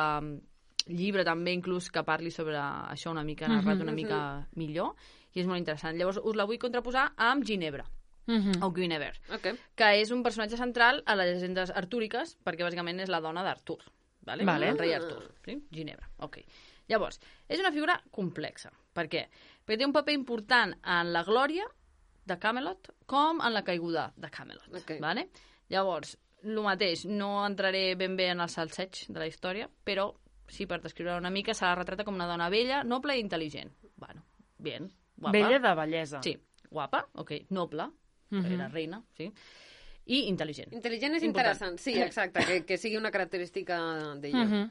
llibre també, inclús, que parli sobre això una mica, narrat una mica millor, i és molt interessant. Llavors us la vull contraposar amb Ginebra, o Guinevere, que és un personatge central a les llegendes artúriques, perquè bàsicament és la dona d'Artur, el rei Artur. Sí? Ginebra, Llavors, és una figura complexa. Per què? Perquè té un paper important en la glòria de Camelot com en la caiguda de Camelot. Vale? Llavors, el mateix, no entraré ben bé en el salseig de la història, però sí, per descriure una mica, se la retrata com una dona vella, noble i intel·ligent. Bueno, bien, guapa. Bella de bellesa. Sí, guapa, noble, era reina, sí, i intel·ligent. Intel·ligent és interessant, sí, exacte, que sigui una característica d'ella.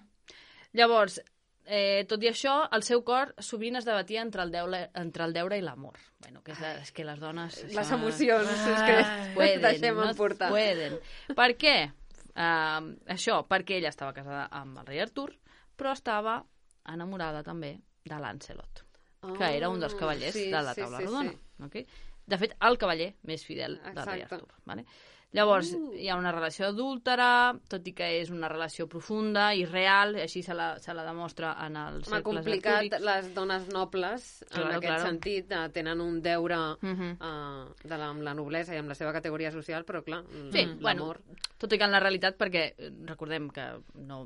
Llavors, tot i això, el seu cor sovint es debatia entre el deure i l'amor. Bueno, és que les dones... Les emocions, és que deixem emportar. Per què? Això, perquè ella estava casada amb el rei Artur, però estava enamorada també de Lancelot, que era un dels cavallers de la taula rodona. De fet, el cavaller més fidel del rei Artur. Llavors, hi ha una relació adúltera, tot i que és una relació profunda i real, així se la demostra en els cercles complicat, artúrics. les dones nobles, en aquest sentit, tenen un deure amb la noblesa i amb la seva categoria social, però clar, l'amor... Tot i que en la realitat, perquè recordem que no...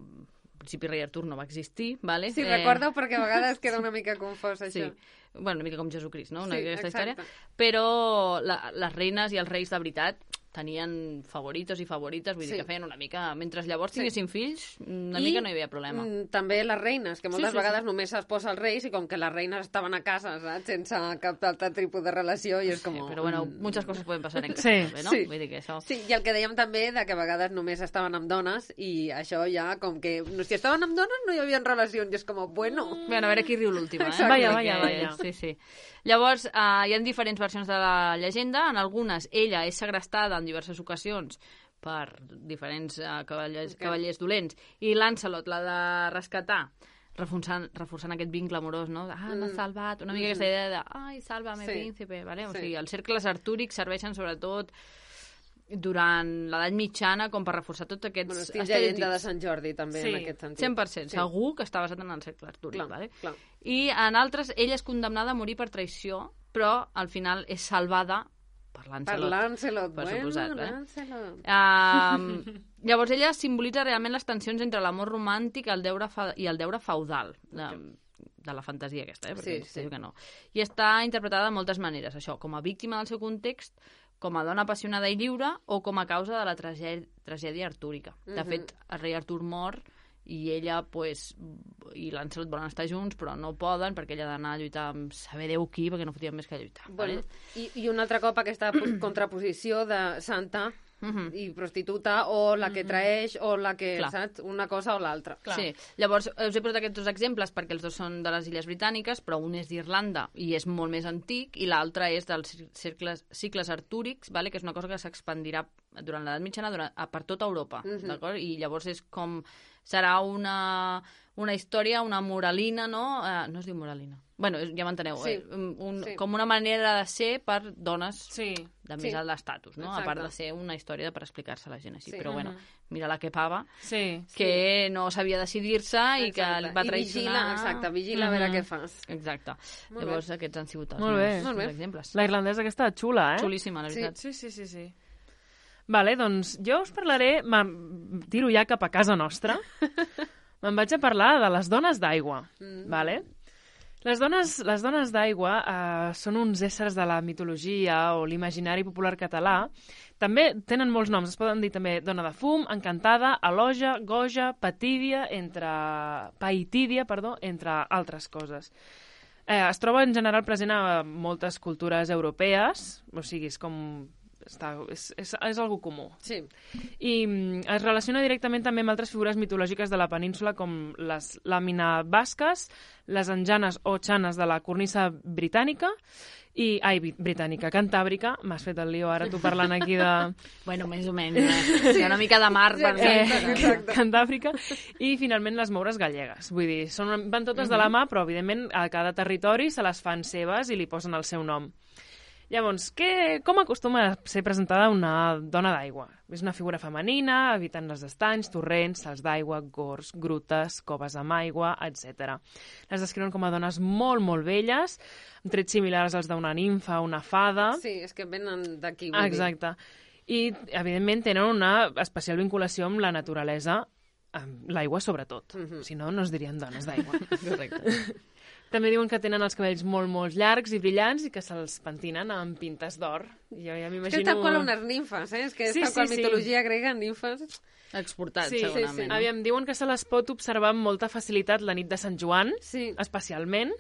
Al principi rei Artur no va existir, ¿vale? Sí, recordo perquè a vegades queda una mica confós, això. Sí. Bueno, una mica com Jesucrist, no? Aquesta història. Però les reines i els reis de veritat tenien favoritos i favorites, vull dir que feien una mica... Mentre llavors tinguessin fills, una mica no hi havia problema. També les reines, que moltes vegades només s'esposa els reis i com que les reines estaven a casa, saps? Sense cap altre tipus de relació i és com... Sí, però bueno, muchas cosas pueden pasar en casa, no? Vull dir que això... Sí, i el que dèiem també de que a vegades només estaven amb dones i això ja com que... Si estaven amb dones no hi havia relacions i és com, bueno... Bueno, a veure qui riu l'última, Vaya. Sí. Llavors, hi ha diferents versions de la llegenda. En algunes, ella és segrestada en diverses ocasions per diferents cavallers dolents i Lancelot l'ha de rescatar, reforçant aquest vincle amorós, no? M'ha salvat, una mica aquesta idea de ai, sálvame, príncipe, ¿vale? O sigui, els cercles artúrics serveixen sobretot durant l'edat mitjana com per reforçar tots aquests estil llegenda de Sant Jordi també en aquest sentit. 100%, segur que està basat en el cercle artúric, vale? I en altres ella és condemnada a morir per traïció, però al final és salvada per Lancelot, per suposat. Llavors ella simbolitza realment les tensions entre l'amor romàntic i el deure feudal de la fantasia aquesta, perquè que no. I està interpretada de moltes maneres, això, com a víctima del seu context, com a dona apassionada i lliure o com a causa de la tragèdia artúrica. De fet, el rei Artur mor i ella, i Lancelot volen estar junts, però no poden perquè ella ha d'anar a lluitar amb saber Déu qui, perquè no fotien més que lluitar. Bueno, i un altre cop aquesta contraposició de santa i prostituta, o la que traeix, o la que, saps, una cosa o l'altra. Sí, llavors us he posat aquests dos exemples perquè els dos són de les Illes Britàniques, però un és d'Irlanda i és molt més antic, i l'altre és dels cicles artúrics, que és una cosa que s'expandirà durant l'edat mitjana per tota Europa, d'acord? I llavors és com... Serà una història, una moralina, no? No es diu moralina. Bueno, ja m'enteneu. Com una manera de ser per dones de més alt estatus, no? A part de ser una història per explicar-se a la gent així. Però bueno, mira la que pava, que no sabia decidir-se i que va traicionar... Vigila a veure què fas. Exacte. Llavors aquests han sigut els meus exemples. La irlandesa aquesta xula, Xulíssima, la veritat. Sí. Vale, doncs jo us parlaré, tiro ja cap a casa nostra, me'n vaig a parlar de les dones d'aigua, vale? Les dones d'aigua són uns éssers de la mitologia o l'imaginari popular català. També tenen molts noms, es poden dir també dona de fum, encantada, elogia, goja, patídia, païtídia, entre altres coses. Es troba en general present a moltes cultures europees, o sigui, és com... és algo comú. Sí. I es relaciona directament també amb altres figures mitològiques de la península com les làmina basques, les anjanes o xanes de la cornisa britànica cantàbrica. M'has fet el lío ara tu parlant aquí de... Bueno, més o menys. Hi ha una mica de mar per Cantàbrica. I finalment les moures gallegues. Vull dir, van totes de la mà, però evidentment a cada territori se les fan seves i li posen el seu nom. Llavors, com acostuma a ser presentada una dona d'aigua? És una figura femenina, habitant els estanys, torrents, salts d'aigua, gors, grutes, coves amb aigua, etc. Les descriuen com a dones molt, molt velles, amb trets similars als d'una nimfa, una fada... Sí, és que venen d'aquí. Exacte. I, evidentment, tenen una especial vinculació amb la naturalesa, amb l'aigua sobretot. Si no, no es dirien dones d'aigua. Correcte. També diuen que tenen els cabells molt, molt llargs i brillants i que se'ls pentinen amb pintes d'or. Jo ja m'imagino... És que és tal qual unes nimfes, És que és tal qual mitologia grega, nimfes... Exportats, segurament. Sí. Aviam, diuen que se les pot observar amb molta facilitat la nit de Sant Joan, especialment,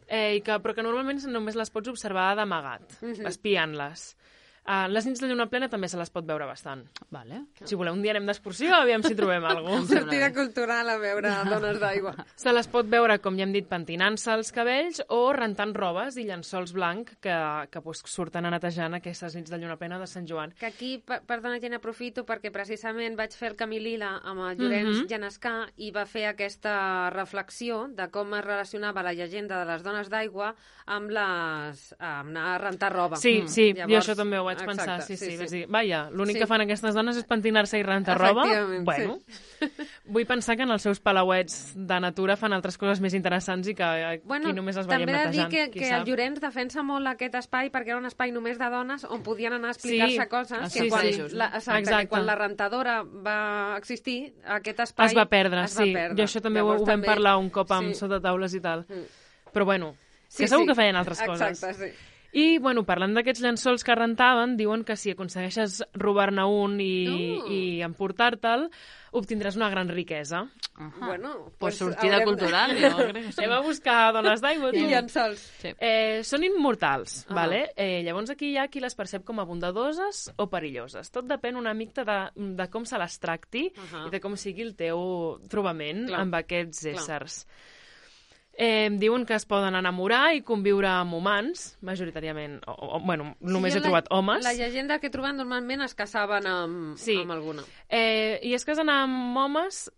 però que normalment només les pots observar d'amagat, espiant-les. Les nits de lluna plena també se les pot veure bastant. Vale. Si voleu, un dia anem d'excursió, aviam si trobem alguna cosa. Sortida cultural a veure dones d'aigua. Se les pot veure, com ja hem dit, pentinant-se els cabells o rentant robes i llençols blanc que surten a netejant aquestes nits de lluna plena de Sant Joan. Que aquí, perdona, Gent, aprofito perquè precisament vaig fer el Camí Lila amb el Llorenç Genescà i va fer aquesta reflexió de com es relacionava la llegenda de les dones d'aigua amb anar a rentar roba. Sí, jo això també ho vaig vaig pensar, sí. Vaig dir, vaja, l'únic que fan aquestes dones és pentinar-se i rentar roba. Bueno, vull pensar que en els seus palauets de natura fan altres coses més interessants i que aquí només les veiem netejant. També he de dir que el Llorenç defensa molt aquest espai perquè era un espai només de dones on podien anar a explicar-se coses que quan la rentadora va existir, aquest espai es va perdre. Jo això també ho vam parlar un cop amb sota taules i tal. Però bueno, que segur que feien altres coses. Exacte, sí. I, bueno, parlant d'aquests llençols que rentaven, diuen que si aconsegueixes robar-ne un i emportar-te'l, obtindràs una gran riquesa. Bueno, pues sortida cultural, jo crec que sí. Anem a buscar dones d'aigua, tu. I llençols. Són immortals, vale? Llavors aquí hi ha qui les percep com a bondadoses o perilloses. Tot depèn una mica de com se les tracti i de com sigui el teu trobament amb aquests éssers. Diuen que es poden enamorar i conviure amb humans, majoritàriament, bueno, només he trobat homes. La llegenda que he trobat normalment es casaven amb alguna. I es casen amb homes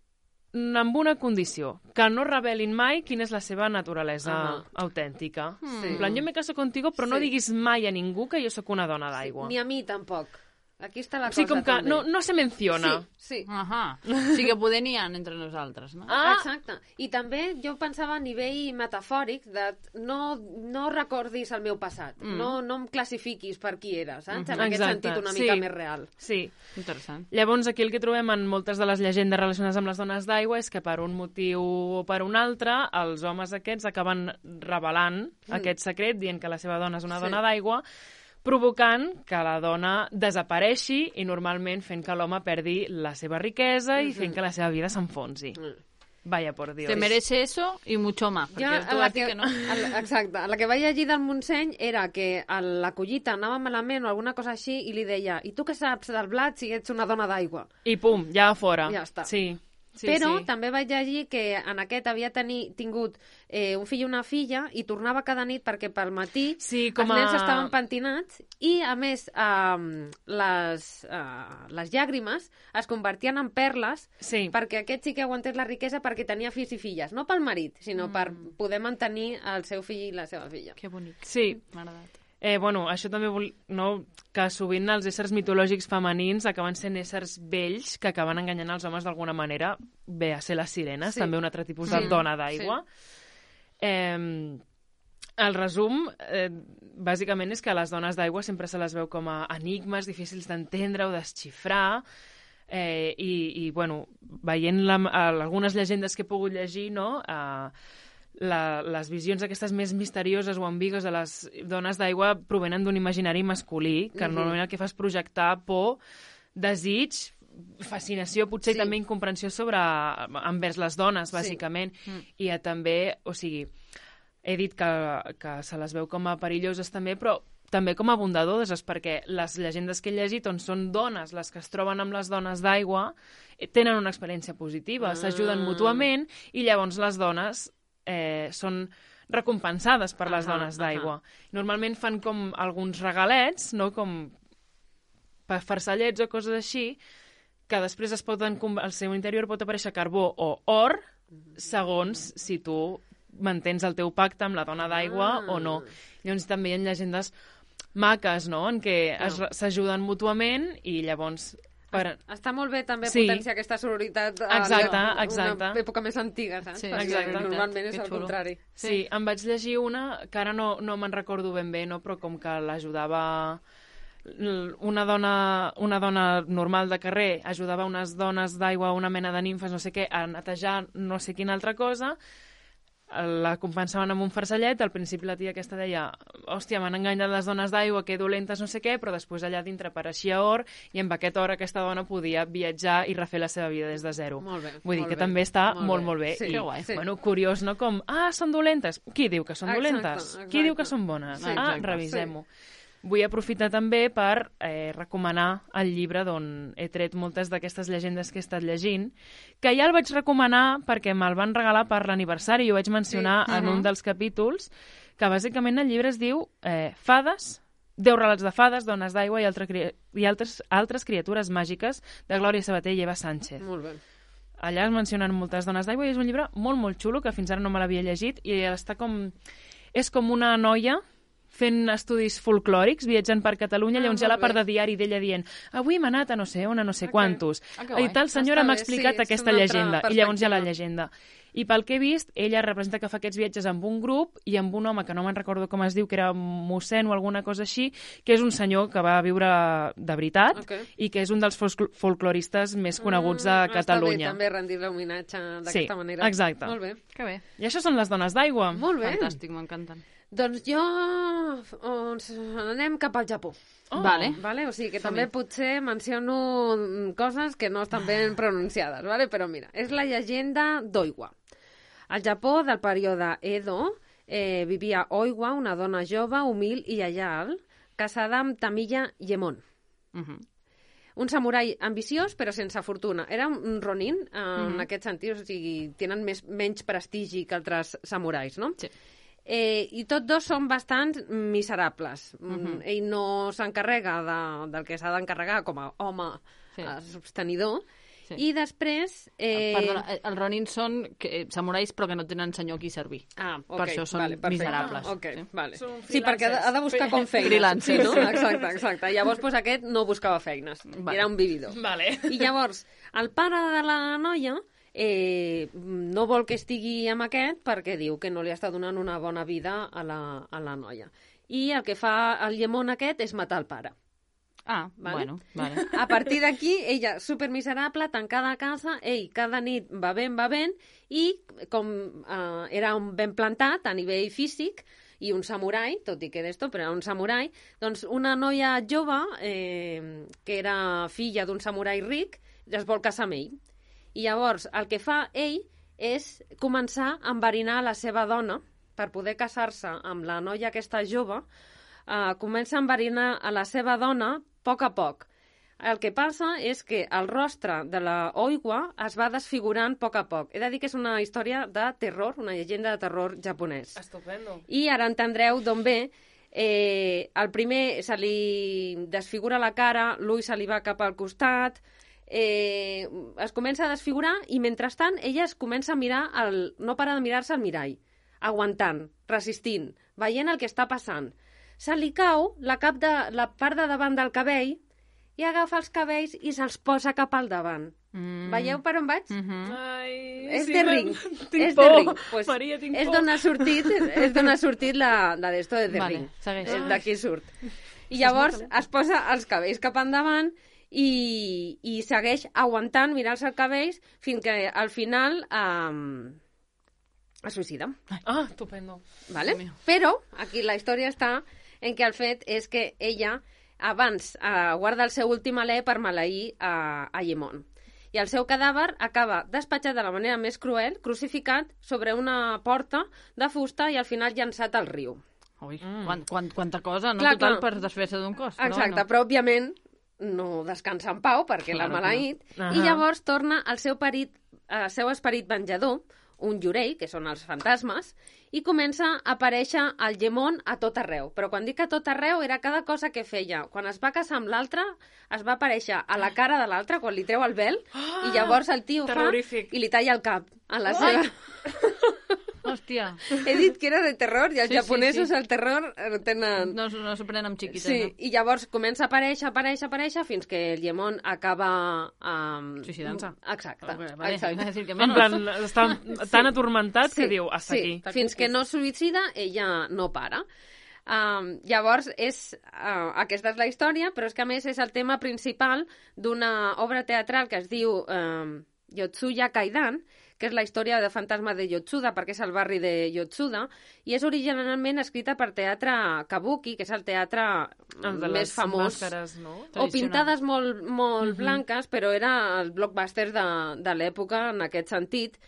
amb una condició, que no revelin mai quina és la seva naturalesa autèntica. En plan, jo me caso contigo, però no diguis mai a ningú que jo sóc una dona d'aigua. Ni a mi, tampoc. Aquí està la cosa, com que no se menciona. Sí. Sí que poder n'hi ha entre nosaltres, no? Exacte. I també jo pensava a nivell metafòric de no recordis el meu passat, no em classifiquis per qui eres, saps? En aquest sentit una mica més real. Sí. Interessant. Llavors aquí el que trobem en moltes de les llegendes relacionades amb les dones d'aigua és que per un motiu o per un altre els homes aquests acaben revelant aquest secret, dient que la seva dona és una dona d'aigua, provocant que la dona desapareixi i normalment fent que l'home perdi la seva riquesa i fent que la seva vida s'enfonsi. Vaya por Dios. Te merece eso y mucho más. Exacte. La que vaig llegir del Montseny era que la collita anava malament o alguna cosa així i li deia, i tu què saps del blat si ets una dona d'aigua? I pum, ja a fora. Ja està. Sí. Però també vaig llegir que en aquest havia tingut un fill i una filla i tornava cada nit perquè pel matí els nens estaven pentinats i, a més, les llàgrimes es convertien en perles perquè aquest sí que aguantés la riquesa perquè tenia fills i filles. No pel marit, sinó per poder mantenir el seu fill i la seva filla. Que bonic. Sí. M'ha agradat. Això també que sovint els éssers mitològics femenins acaben sent éssers vells que acaben enganyant els homes d'alguna manera, ve a ser les sirenes, també un altre tipus de dona d'aigua. El resum, bàsicament, és que les dones d'aigua sempre se les veu com a enigmes difícils d'entendre o desxifrar, i bueno, veient algunes llegendes que he pogut llegir, no?, les visions aquestes més misterioses o ambigues de les dones d'aigua provenen d'un imaginari masculí, que normalment el que fa és projectar por, desig, fascinació, potser i també incomprensió envers les dones, bàsicament. I també, o sigui, he dit que se les veu com a perilloses també, però també com a bondadoses, perquè les llegendes que he llegit on són dones les que es troben amb les dones d'aigua tenen una experiència positiva, s'ajuden mútuament i llavors les dones són recompensades per les dones d'aigua. Normalment fan com alguns regalets, no? Com farcellets o coses així, que després al seu interior pot aparèixer carbó o or, segons si tu mantens el teu pacte amb la dona d'aigua o no. Llavors també hi ha llegendes maques, no?, en què s'ajuden mútuament i llavors... Està molt bé també potenciar aquesta sororitat a una època més antiga, saps? Perquè normalment és el contrari. Sí, em vaig llegir una que ara no me'n recordo ben bé, no? Però com que l'ajudava una dona normal de carrer, ajudava unes dones d'aigua, una mena de nimfes, no sé què, a netejar no sé quina altra cosa, la compensaven amb un farcellet. Al principi la tia aquesta deia, hòstia, m'han enganyat les dones d'aigua, que dolentes, no sé què, però després allà dintre apareixia or i amb aquest or aquesta dona podia viatjar i refer la seva vida des de zero. Vull dir que també està molt bé. I, bueno, curiós, no? Com, són dolentes. Qui diu que són dolentes? Qui diu que són bones? Revisem-ho. Vull aprofitar també per recomanar el llibre d'on he tret moltes d'aquestes llegendes que he estat llegint, que ja el vaig recomanar perquè me'l van regalar per l'aniversari i ho vaig mencionar en un dels capítols, que bàsicament el llibre es diu Fades, 10 relats de fades, dones d'aigua i altres criatures màgiques, de Glòria Sabater i Eva Sánchez. Molt bé. Allà es mencionen moltes dones d'aigua i és un llibre molt, molt xulo, que fins ara no me l'havia llegit, i està com... És com una noia fent estudis folclòrics, viatjant per Catalunya, llavors hi ha la part de diari d'ella dient avui m'ha anat a no sé on, a no sé quantos. I tal senyora m'ha explicat aquesta llegenda. I llavors hi ha la llegenda. I pel que he vist, ella representa que fa aquests viatges amb un grup i amb un home que no me'n recordo com es diu, que era mossèn o alguna cosa així, que és un senyor que va viure de veritat i que és un dels folcloristes més coneguts de Catalunya. Està bé també rendir l'homenatge d'aquesta manera. Sí, exacte. Molt bé. Que bé. I això són les dones d'aigua. Molt bé. Fantàstic, m'encanten. Doncs jo anem cap al Japó. Vale. O sigui que també potser menciono coses que no estan ben pronunciades, vale? Però mira, és la llegenda d'Oiwa. Al Japó del període Edo vivia Oiwa, una dona jove, humil i lleial, casada amb Tamiya Yemon. Un samurai ambiciós però sense fortuna. Era un ronin en aquest sentit, o sigui, tenen menys prestigi que altres samurais, no? Sí. I tots dos són bastant miserables. Ell no s'encarrega del que s'ha d'encarregar com a home sostenidor. Sí. I després... Perdona, els ronins són samurais però que no tenen senyor qui servir. Per això són miserables. Vale. Sí, perquè ha de buscar com feines. Freelance, sí, no? Exacte. Llavors, doncs, aquest no buscava feines. Era un vividor. Vale. I llavors, el pare de la noia no vol que estigui amb aquest perquè diu que no li està donant una bona vida a la noia. I el que fa el llemón aquest és matar el pare. Vale? Vale. A partir d'aquí, ella, supermiserable, tancada a casa, ell cada nit va ben, i com era un ben plantat a nivell físic, i un samurai, tot i que d'esto, però era un samurai, doncs una noia jove, que era filla d'un samurai ric, es vol casar amb ell. I llavors el que fa ell és començar a enverinar la seva dona per poder casar-se amb la noia aquesta jove, comença a enverinar a la seva dona a poc. El que passa és que el rostre de la Oiwa es va desfigurant a poc. He de dir que és una història de terror, una llegenda de terror japonès. Estupendo. I ara entendreu d'on ve. El primer se li desfigura la cara, l'ull se li va cap al costat, es comença a desfigurar i mentrestant ella es comença a mirar, no para de mirar-se al mirall, aguantant, resistint, veient el que està passant. Se li cau la part de davant del cabell i agafa els cabells i se'ls posa cap al davant. Veieu per on vaig? Ai, és de ring. Tinc por. Pues, Maria, tinc por. És d'on ha sortit la d'esto de vale, ring. Segueix. D'aquí surt. I llavors es posa els cabells cap endavant i segueix aguantant, mirant-se els cabells, fins que al final es suïcida. Estupendo. Vale? Però aquí la història està en què el fet és que ella abans guarda el seu últim alè per maleir a Yemon. I el seu cadàver acaba despatxat de la manera més cruel, crucificat sobre una porta de fusta i al final llançat al riu. Ui, quanta cosa, no? Total, per desfer-se d'un cos. Exacte, però òbviament no descansa en pau perquè l'ha maleït, i llavors torna al seu esperit venjador, un yurei, que són els fantasmes, i comença a aparèixer el Yemon a tot arreu. Però quan dic a tot arreu era cada cosa que feia. Quan es va casar amb l'altre, es va aparèixer a la cara de l'altre, quan li treu el vel, i llavors el tio fa i li talla el cap a la seva... Hòstia. He dit que era de terror, i els japonesos el terror tenen... No s'ho prenen amb xiquites. Sí, no? I llavors comença a aparèixer, fins que el Yemon acaba... Suïcidant-se. Exacte. En plan, està tan atormentat que diu, hasta aquí. Fins que no suïcida, ella no para. Llavors, aquesta és la història, però és que a més és el tema principal d'una obra teatral que es diu Yotsuya Kaidan, que és la història de fantasma de Yotsuda, perquè és el barri de Yotsuda, i és originalment escrita per teatre kabuki, que és el teatre més famós. Màscares, no? O pintades molt blanques, però era el blockbuster de l'època en aquest sentit.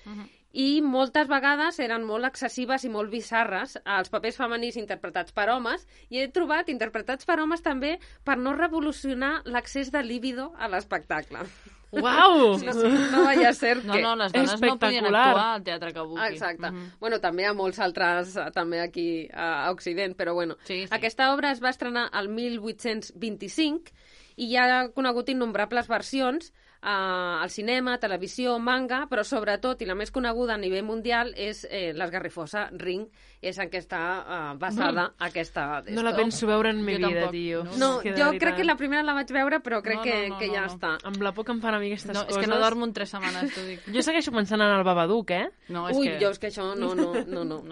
I moltes vegades eren molt excessives i molt bizarres els papers femenins interpretats per homes, i he trobat interpretats per homes també per no revolucionar l'accés de líbido a l'espectacle. Uau! No vaya a ser que... No, les dones no podien actuar al teatre kabuki. Exacte. Bueno, també hi ha molts altres, també aquí a Occident, però bueno. Sí. Aquesta obra es va estrenar el 1825 i hi ha conegut innombrables versions al cinema, televisió, manga, però sobretot, i la més coneguda a nivell mundial, és l'esgarrifosa Ring, és en què està basada aquesta... No la penso veure en mi vida, tio. No, jo crec que la primera la vaig veure, però crec que ja està. Amb la por que em fan a mi aquestes coses... És que no dormo en 3 setmanes, t'ho dic. Jo segueixo pensant en el Babadook, Jo és que això no.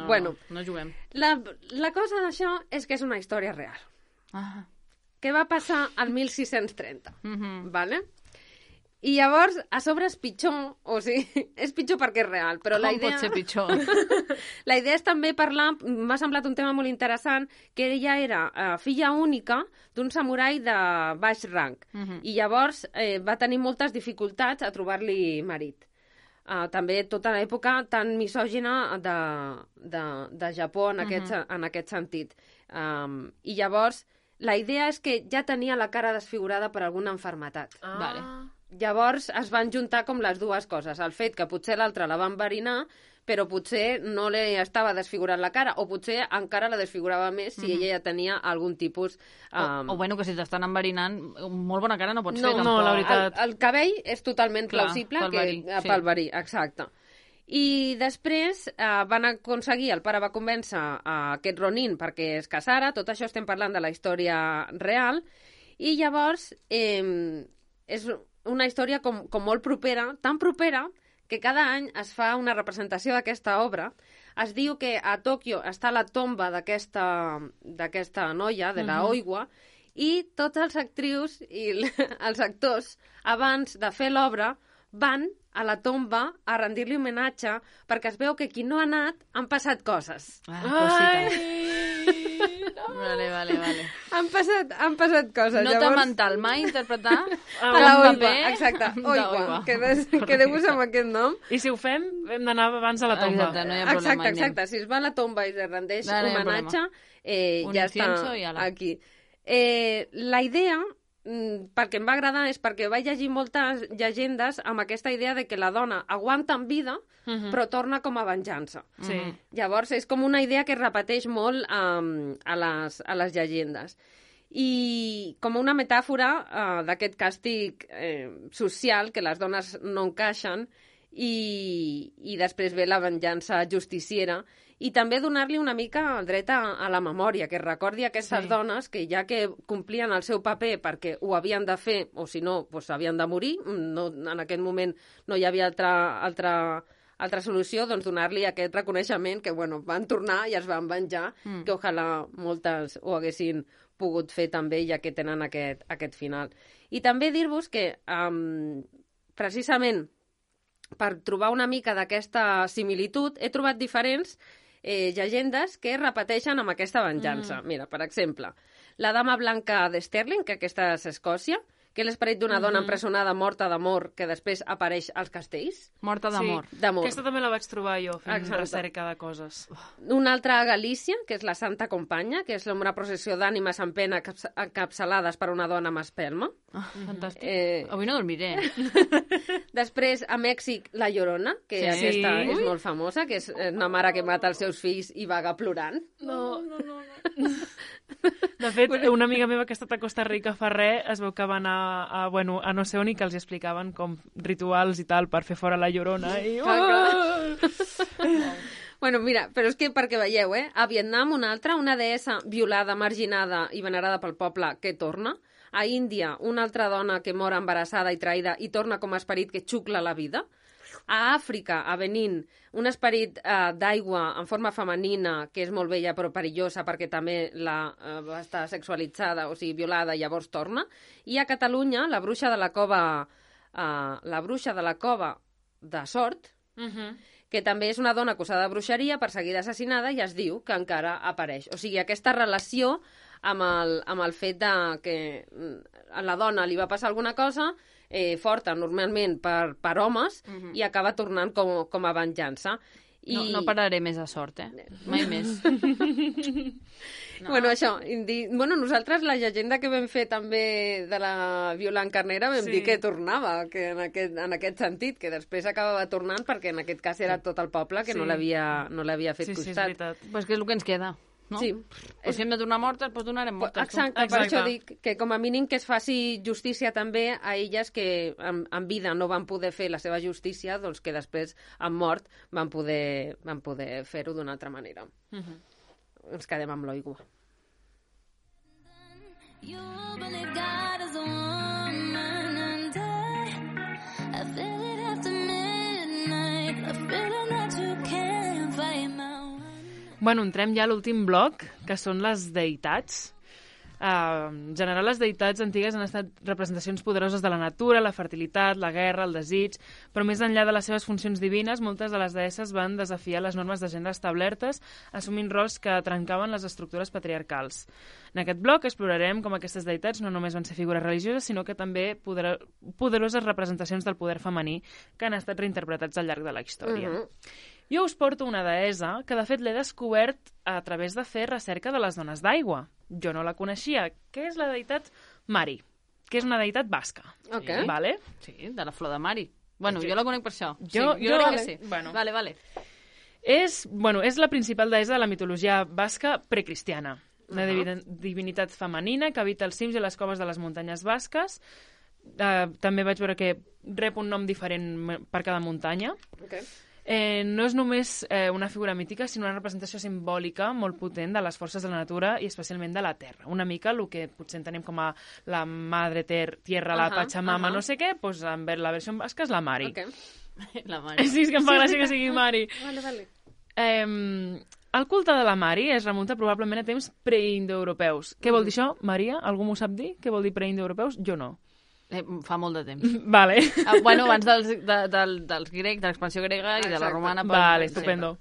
Bueno, no juguem. La cosa d'això és que és una història real. Què va passar al 1630, vale? I llavors, a sobre és pitjor, o sigui, és pitjor perquè és real, però la idea... Com pot ser pitjor? La idea és també parlar, m'ha semblat un tema molt interessant, que ella era filla única d'un samurai de baix rang, i llavors va tenir moltes dificultats a trobar-li marit. També tota l'època tan misògina de Japó en aquest sentit. I llavors, la idea és que ja tenia la cara desfigurada per alguna malaltia. Vale. Llavors es van juntar com les dues coses. El fet que potser l'altre la va enverinar, però potser no li estava desfigurant la cara, o potser encara la desfigurava més si ella ja tenia algun tipus... O bueno, que si t'estan enverinant, molt bona cara no pots fer, tampoc. No, la veritat. El cabell és totalment plausible pel verí, exacte. I després van aconseguir, el pare va convèncer aquest Ronin perquè es casara, tot això estem parlant de la història real, i llavors és una història com molt propera, tan propera que cada any es fa una representació d'aquesta obra. Es diu que a Tòquio està la tomba d'aquesta noia, de la Oiwa, i tots els actrius i els actors, abans de fer l'obra, van a la tomba a rendir-li homenatge perquè es veu que qui no ha anat han passat coses. Vale. Han passat coses. Nota mental, mai interpretar a la Oiwa, exacte, Oiwa, quedeu-vos amb aquest nom. I si ho fem, hem d'anar abans a la tomba. Exacte, no hi ha problema. Exacte, si es va a la tomba i es rendeix homenatge, ja està aquí. La idea, perquè em va agradar, és perquè vaig llegir moltes llegendes amb aquesta idea de que la dona aguanta en vida, però torna com a venjança. Sí. Llavors, és com una idea que es repeteix molt a les llegendes. I com una metàfora d'aquest càstig social, que les dones no encaixen, i després ve la venjança justiciera, i també donar-li una mica el dret a la memòria, que recordi aquestes dones que ja que complien el seu paper perquè ho havien de fer, o si no, doncs havien de morir, en aquest moment no hi havia altra solució, doncs donar-li aquest reconeixement que, bueno, van tornar i es van venjar, que ojalà moltes ho haguessin pogut fer també, ja que tenen aquest final. I també dir-vos que, precisament, per trobar una mica d'aquesta similitud, he trobat diferents llegendes que repeteixen amb aquesta venjança. Mira, per exemple, la dama blanca de Stirling, que aquesta és Escòcia, que és l'esperit d'una dona empresonada morta d'amor que després apareix als castells. Morta d'amor. Sí, d'amor. Aquesta també la vaig trobar jo, fent recerca de coses. Una altra a Galícia, que és la Santa Companya, que és una processió d'ànimes en pena encapçalades per una dona amb espelma. Fantàstic. Avui no dormiré. Després, a Mèxic, la Llorona, que aquesta és molt famosa, que és una mare que mata els seus fills i vaga plorant. No. De fet, una amiga meva que ha estat a Costa Rica fa res, es veu que va anar a no sé on i que els explicaven com rituals i tal per fer fora la Llorona. I... Bueno, mira, però és que perquè veieu, a Vietnam una deessa violada, marginada i venerada pel poble que torna. A Índia, una altra dona que mor embarassada i traïda i torna com a esperit que xucla la vida. A Àfrica, a Benín, un esperit d'aigua en forma femenina, que és molt bella però perillosa perquè també va estar sexualitzada, o sigui, violada, i llavors torna. I a Catalunya, la bruixa de la cova de Sort, que també és una dona acusada de bruixeria, perseguida, assassinada, i es diu que encara apareix. O sigui, aquesta relació amb el fet que a la dona li va passar alguna cosa forta, normalment per homes, i acaba tornant com a venjança. No pararé més a Sort, mai més. No. Bueno, això, nosaltres la llegenda que vam fer també de la Violant Carnera vam dir que tornava, que en aquest sentit, que després acabava tornant perquè en aquest cas era tot el poble que no l'havia fet costat. Sí, és veritat. Pues que és el que ens queda. no? Sí. Però si hem de tornar mortes, doncs donarem mortes. Exacte, per això dic que com a mínim que es faci justícia també a elles que en vida no van poder fer la seva justícia, doncs que després, en mort, van poder fer-ho d'una altra manera. Ens quedem amb l'aigua. You believe God is a woman and I feel it after midnight, a feeling that you can't fight my one. Bueno, entrem ja a l'últim bloc, que són les deïtats. En general, les deïtats antigues han estat representacions poderoses de la natura, la fertilitat, la guerra, el desig, però més enllà de les seves funcions divines, moltes de les deesses van desafiar les normes de gènere establertes, assumint rols que trencaven les estructures patriarcals. En aquest bloc explorarem com aquestes deïtats no només van ser figures religioses, sinó que també poderoses representacions del poder femení que han estat reinterpretats al llarg de la història. Jo us porto una deessa que, de fet, l'he descobert a través de fer recerca de les dones d'aigua. Jo no la coneixia. Què és la deïtat Mari? Que és una deïtat basca. Ok. Vale? Sí, de la flor de Mari. Bueno, jo la conec per això. Jo crec que sí. Bueno. Vale. És la principal deessa de la mitologia basca precristiana. Una divinitat femenina que habita els cims i les coves de les muntanyes basques. També vaig veure que rep un nom diferent per cada muntanya. Okay. No és només una figura mítica, sinó una representació simbòlica molt potent de les forces de la natura i especialment de la terra. Una mica el que potser entenem com a la madre tierra, la Pachamama, no sé què, doncs en la versió basca és la Mari. Okay. La Mari. Sí, és que em fa gràcia que sigui Mari. Vale. El culte de la Mari es remunta probablement a temps preindoeuropeus. Què vol dir això, Maria? Algú m'ho sap dir? Què vol dir preindoeuropeus? Jo no. Fa molt de temps. Vale. Bueno, abans dels grecs, de l'expansió grega i de la romana. Vale, estupendo.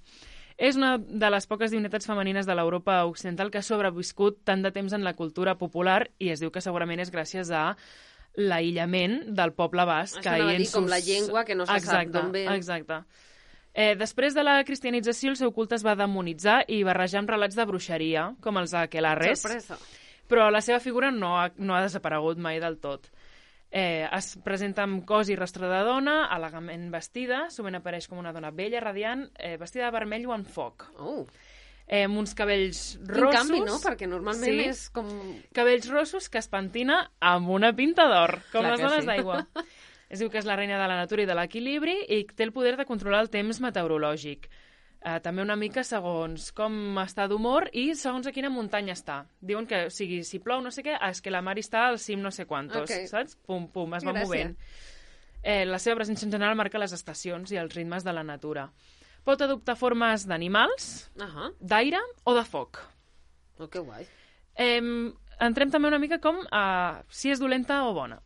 És una de les poques divinitats femenines de l'Europa occidental que ha sobreviscut tant de temps en la cultura popular i es diu que segurament és gràcies a l'aïllament del poble basc. Això anava a dir, com la llengua, que no se sap d'on ve. Exacte. Després de la cristianització, el seu culte es va demonitzar i barrejar amb relats de bruixeria, com els aquelarres. Sorpresa. Però la seva figura no ha desaparegut mai del tot. Es presenta amb cos i rostre de dona, elegantment vestida, sovint apareix com una dona bella, radiant, vestida de vermell o en foc. Amb uns cabells rossos... Quin canvi, no? Perquè normalment és com... Cabells rossos que es pentina amb una pinta d'or, com Clar les dones sí. d'aigua. Es diu que és la reina de la natura i de l'equilibri i té el poder de controlar el temps meteorològic. També una mica segons com està d'humor i segons a quina muntanya està. Diuen que, o sigui, si plou no sé què, és que la Mari està al cim no sé quantos, saps? Pum, pum, es va movent. La seva presència en general marca les estacions i els ritmes de la natura. Pot adoptar formes d'animals, d'aire o de foc. Que guai. Entrem també una mica com si és dolenta o bona.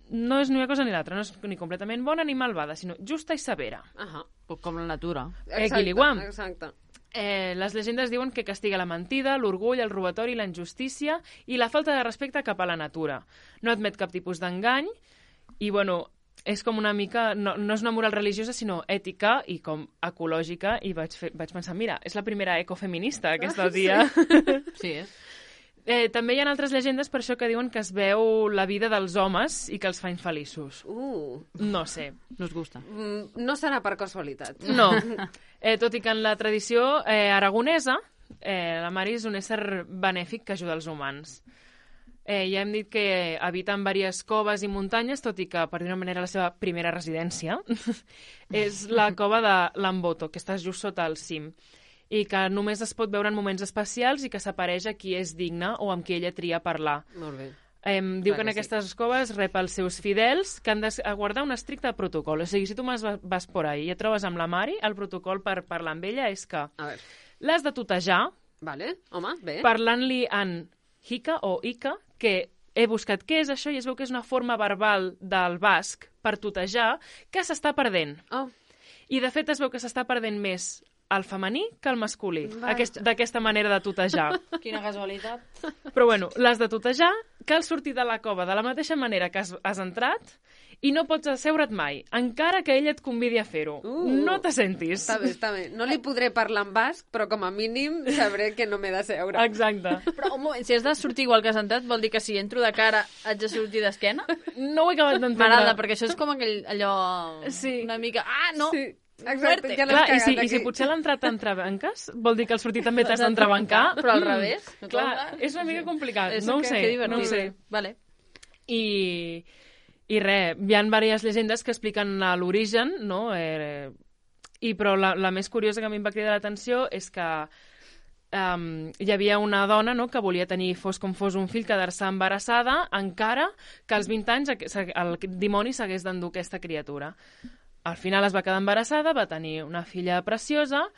No és ni una cosa ni l'altra, no és ni completament bona ni malvada, sinó justa i severa. Com la natura. Exacte. Les llegendes diuen que castiga la mentida, l'orgull, el robatori, la injustícia i la falta de respecte cap a la natura. No admet cap tipus d'engany i, bueno, és com una mica... No és una moral religiosa, sinó ètica i com ecològica, i vaig pensar, mira, és la primera ecofeminista aquesta tia. Sí, és. També hi ha altres llegendes per això que diuen que es veu la vida dels homes i que els fa infeliços. No sé. No us gusta. No serà per casualitat. No. Tot i que en la tradició aragonesa la Mari és un ésser benèfic que ajuda els humans. Ja hem dit que habita en diverses coves i muntanyes, tot i que, per dir-ho d'una manera, la seva primera residència és la cova de l'Amboto, que està just sota el cim, i que només es pot veure en moments especials i que s'apareix a qui és digne o amb qui ella tria parlar. Molt bé. Diu que en aquestes coves rep els seus fidels que han de guardar un estricte protocol. O sigui, si tu vas por ahí i et trobes amb la Mari, el protocol per parlar amb ella és que l'has de tutejar, parlant-li en Hika o Ika, que he buscat què és això i es veu que és una forma verbal del basc per tutejar que s'està perdent. I de fet es veu que s'està perdent més el femení que el masculí, d'aquesta manera de tutejar. Quina casualitat. Però bueno, l'has de tutejar, cal sortir de la cova de la mateixa manera que has entrat i no pots asseure't mai, encara que ell et convidi a fer-ho. No te sentis. Està bé. No li podré parlar en basc, però com a mínim sabré que no m'he de seure. Exacte. Però un moment, si has de sortir igual que has entrat, vol dir que si entro de cara haig de sortir d'esquena? No ho he acabat d'entendre. M'agrada, perquè això és com allò... Sí. Una mica... no! Sí. Exacte, ja l'has Clar, cagat i si potser l'ha entrat entre banques, vol dir que al sortir també t'has d'entrebancar. Però al revés. Clar, és una mica complicat, no ho sé. Que divertit. No ho sé. Vale. I res, hi ha diverses llegendes que expliquen l'origen, no? Però la més curiosa que a mi em va cridar l'atenció és que hi havia una dona, no?, que volia tenir, fos com fos un fill, quedar-se embarassada encara que als 20 anys el dimoni s'hagués d'endur aquesta criatura. Al final es va quedar embarassada, va tenir una filla preciosa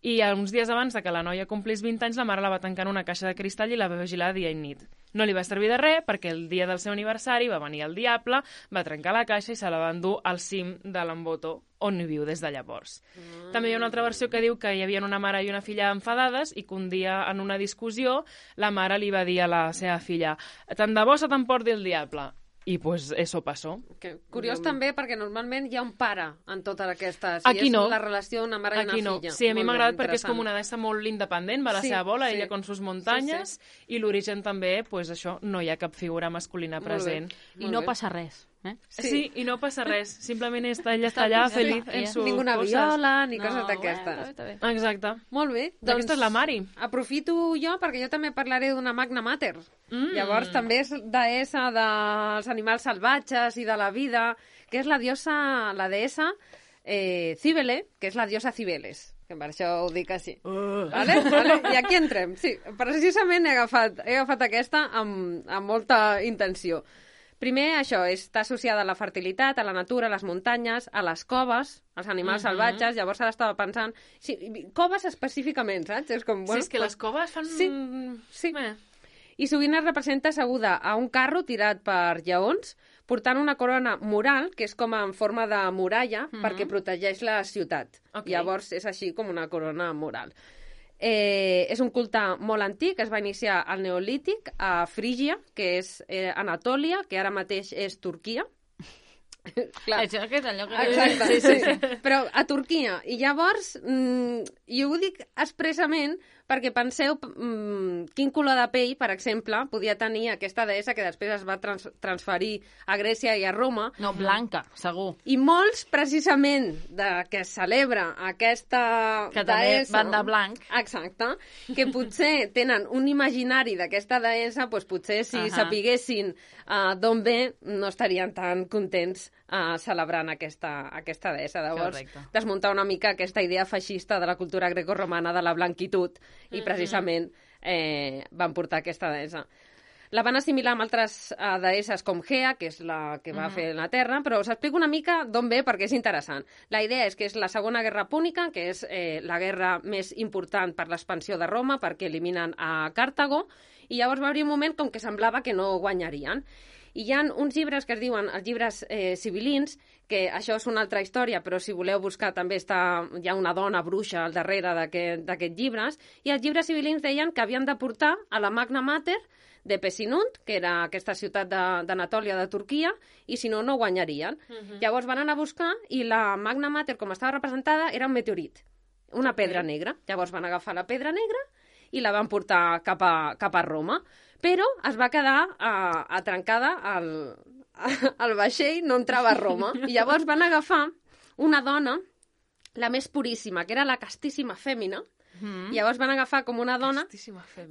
i uns dies abans de que la noia complís 20 anys la mare la va tancar en una caixa de cristall i la va vigilar dia i nit. No li va servir de res perquè el dia del seu aniversari va venir el diable, va trencar la caixa i se la va endur al cim de l'Embotó, on hi viu des de llavors. També hi ha una altra versió que diu que hi havia una mare i una filla enfadades i que un dia en una discussió la mare li va dir a la seva filla «Tant de bo se t'emporti el diable». I pues eso passó. Curiós també perquè normalment hi ha un pare en totes aquestes. Aquí no. És la relació d'una mare i una filla. Sí, a mi m'ha agradat perquè és com una deessa molt independent, va a la seva bola, ella con sus muntanyes, i l'origen també, pues això, no hi ha cap figura masculina present. I no passa res. Sí, i no passa res. Simplement ella està allà feliç en sus Ninguna coses. viola, ni coses d'aquestes. Exacte. Molt bé. Aquesta és la Mari. Aprofito jo perquè jo també parlaré d'una Magna Mater. Llavors també és deessa dels animals salvatges i de la vida, que és la deessa Cíbele, que és la diosa Cibeles, que per això ho dic així. Vale? I aquí entrem. Sí, precisament he agafat aquesta amb molta intenció. Primer, això, està associada a la fertilitat, a la natura, a les muntanyes, a les coves, als animals salvatges. Llavors ara estava pensant... Sí, coves específicament, saps? És com, bueno, sí, és que les coves fan... Sí. I sovint es representa asseguda a un carro tirat per lleons, portant una corona mural, que és com en forma de muralla, perquè protegeix la ciutat. Llavors és així com una corona mural. És un culte molt antic, es va iniciar al Neolític a Frígia, que és Anatòlia, que ara mateix és Turquia. Clar. Això és allò que... Exacte, sí. Però a Turquia. I llavors, jo ho dic expressament perquè penseu quin color de pell, per exemple, podia tenir aquesta deessa que després es va transferir a Grècia i a Roma. No, blanca, segur. I molts, precisament, que es celebra aquesta que deessa... Que també van de blanc. Exacte. Que potser tenen un imaginari d'aquesta deessa, doncs potser si sapiguessin d'on ve, no estarien tan contents celebrant aquesta deessa. Llavors, desmuntar una mica aquesta idea feixista de la cultura grecorromana de la blanquitud i precisament van portar aquesta deessa. La van assimilar amb altres deesses com Gea, que és la que va fer la Terra, però us explico una mica d'on ve perquè és interessant. La idea és que és la Segona Guerra Púnica, que és la guerra més important per l'expansió de Roma, perquè eliminen a Càrtago, i llavors va haver un moment com que semblava que no guanyarien. I hi ha uns llibres que es diuen els llibres sibilins, que això és una altra història, però si voleu buscar també hi ha una dona bruixa al darrere d'aquests llibres, i els llibres sibilins deien que havien de portar a la Magna Mater de Pesinunt, que era aquesta ciutat d'Anatòlia de Turquia, i si no, no guanyarien. Llavors van anar a buscar i la Magna Mater, com estava representada, era un meteorit, una pedra negra. Llavors van agafar la pedra negra i la van portar cap a Roma. Però es va quedar atrancada al vaixell, no entrava a Roma. I llavors van agafar una dona, la més puríssima, que era la castíssima fèmina, i llavors van agafar com una dona,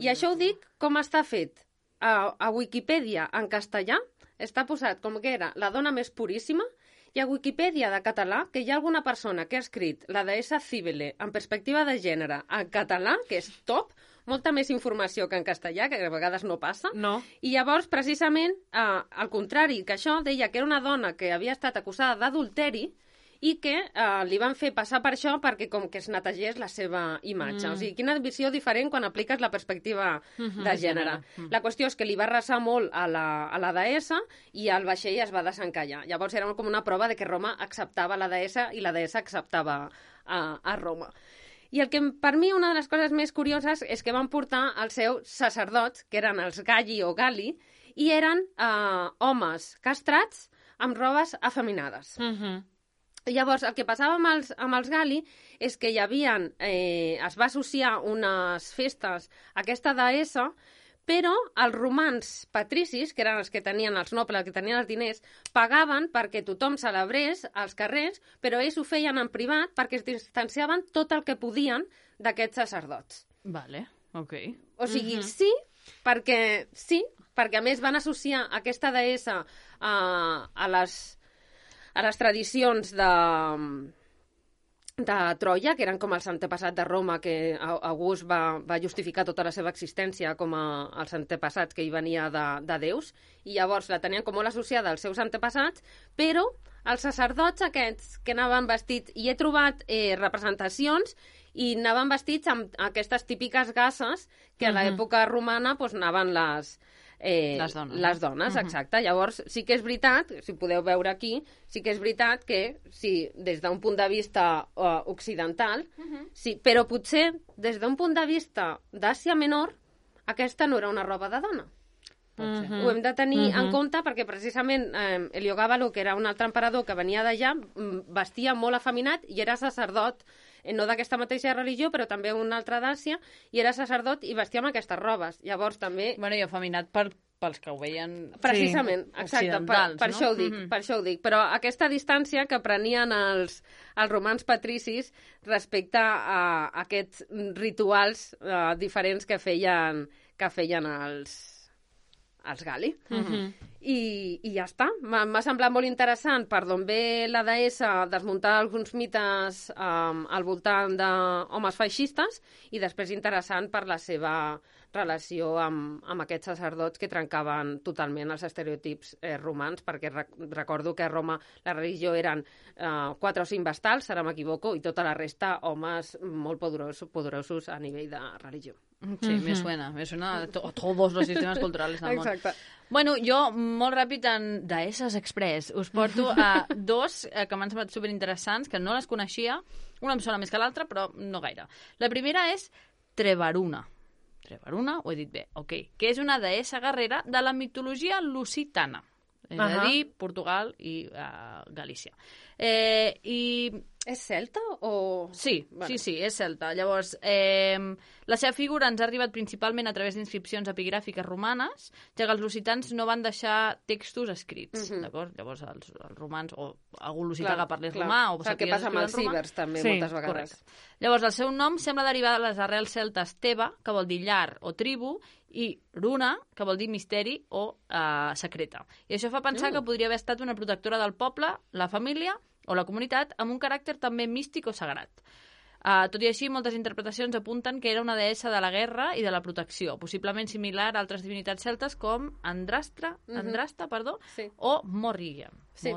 i això ho dic com està fet. A Wikipedia en castellà està posat com que era la dona més puríssima, i a Wikipedia de català que hi ha alguna persona que ha escrit la deessa Cíbele en perspectiva de gènere en català, que és top, molta més informació que en castellà, que a vegades no passa. No. I llavors, precisament, al contrari, que això deia que era una dona que havia estat acusada d'adulteri i que li van fer passar per això perquè com que es netegés la seva imatge. O sigui, quina visió diferent quan apliques la perspectiva de gènere. La qüestió és que li va arrasar molt a la deessa i el vaixell es va desencallar. Llavors era com una prova de que Roma acceptava la deessa i la deessa acceptava a Roma. I el que per mi una de les coses més curioses és que van portar els seus sacerdots, que eren els Galli o Gali, i eren homes castrats amb robes afeminades. Llavors, el que passava amb els Gali és que hi havia, es va associar unes festes a aquesta deessa però els romans patricis, que eren els que tenien els nobles, els que tenien els diners, pagaven perquè tothom celebrés als carrers, però ells ho feien en privat perquè es distanciaven tot el que podien d'aquests sacerdots. Vale, ok. O sigui, perquè a més van associar aquesta deessa a les tradicions de Troia, que eren com els antepassats de Roma, que August va justificar tota la seva existència com els antepassats que hi venia de déus, i llavors la tenien com molt associada als seus antepassats, però els sacerdots aquests que anaven vestits, i he trobat representacions, i anaven vestits amb aquestes típiques gasses que a l'època romana anaven les dones, exacte. Llavors, sí que és veritat, si podeu veure aquí, sí que és veritat que, sí, des d'un punt de vista occidental, sí, però potser des d'un punt de vista d'Àsia Menor, aquesta no era una roba de dona. Ho hem de tenir en compte perquè precisament Heliogàbalo, que era un altre emperador que venia d'allà, vestia molt afeminat i era sacerdot, no d'aquesta mateixa religió, però també un altre d'Àsia, i era sacerdot i vestia amb aquestes robes. Llavors també... Bueno, i afeminat pels que ho veien... Precisament, exacte, per això ho dic, per això ho dic. Però aquesta distància que prenien els romans patricis respecte a aquests rituals diferents que feien els gali. I ja està. M'ha semblat molt interessant per d'on ve la deessa desmuntar alguns mites al voltant d'homes feixistes i després interessant per la seva relació amb aquests sacerdots que trencaven totalment els estereotips romans, perquè recordo que a Roma la religió eren 4 o 5 vestals, ara m'equivoco, i tota la resta homes molt poderosos a nivell de religió. Sí, me suena a todos los sistemas culturales del món. Exacte. Bueno, jo, molt ràpid, en Deesses Express, us porto a dos que m'han semblat superinteressants, que no les coneixia. Una em sona més que l'altra, però no gaire. La primera és Trevaruna. Trevaruna, ho he dit bé, ok. Que és una deessa guerrera de la mitologia lusitana. És a dir, Portugal i Galícia. És celta o...? Sí, vale. Sí, és celta. Llavors, la seva figura ens ha arribat principalment a través d'inscripcions epigràfiques romanes, ja que els lusitans no van deixar textos escrits, d'acord? Llavors, els romans, o algú lusità que parlés romà, o el que passa amb els cibers, també, moltes vegades. Correcte. Llavors, el seu nom sembla derivar de les arrels celtes teva, que vol dir llar o tribu, i runa, que vol dir misteri o secreta. I això fa pensar que podria haver estat una protectora del poble, la família o la comunitat, amb un caràcter també místic o sagrat. Tot i així, moltes interpretacions apunten que era una deessa de la guerra i de la protecció, possiblement similar a altres divinitats celtes com Andrasta, o Morrigan. Sí.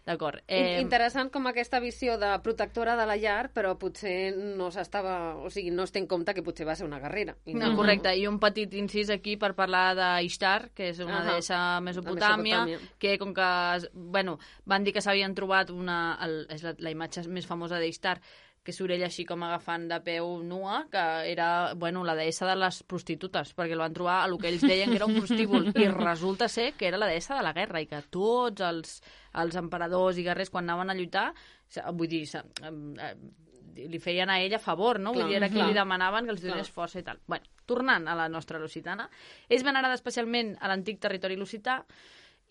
D'acord. Interessant com aquesta visió de protectora de la llar, però potser no es té en compte que potser va ser una guerrera. No, correcte. I un petit incís aquí per parlar d'Ishtar, que és una deessa Mesopotàmia, que com que, van dir que s'havien trobat és la imatge més famosa d'Ishtar, que surt ella així com agafant de peu nua, que era, la deessa de les prostitutes, perquè el van trobar a el que ells deien que era un prostíbul, i resulta ser que era la deessa de la guerra, i que tots els emperadors i guerrers, quan anaven a lluitar, vull dir, li feien a ella favor, no? Vull dir, era qui li demanaven que els donés força i tal. Tornant a la nostra lusitana, és venerada especialment a l'antic territori lusità,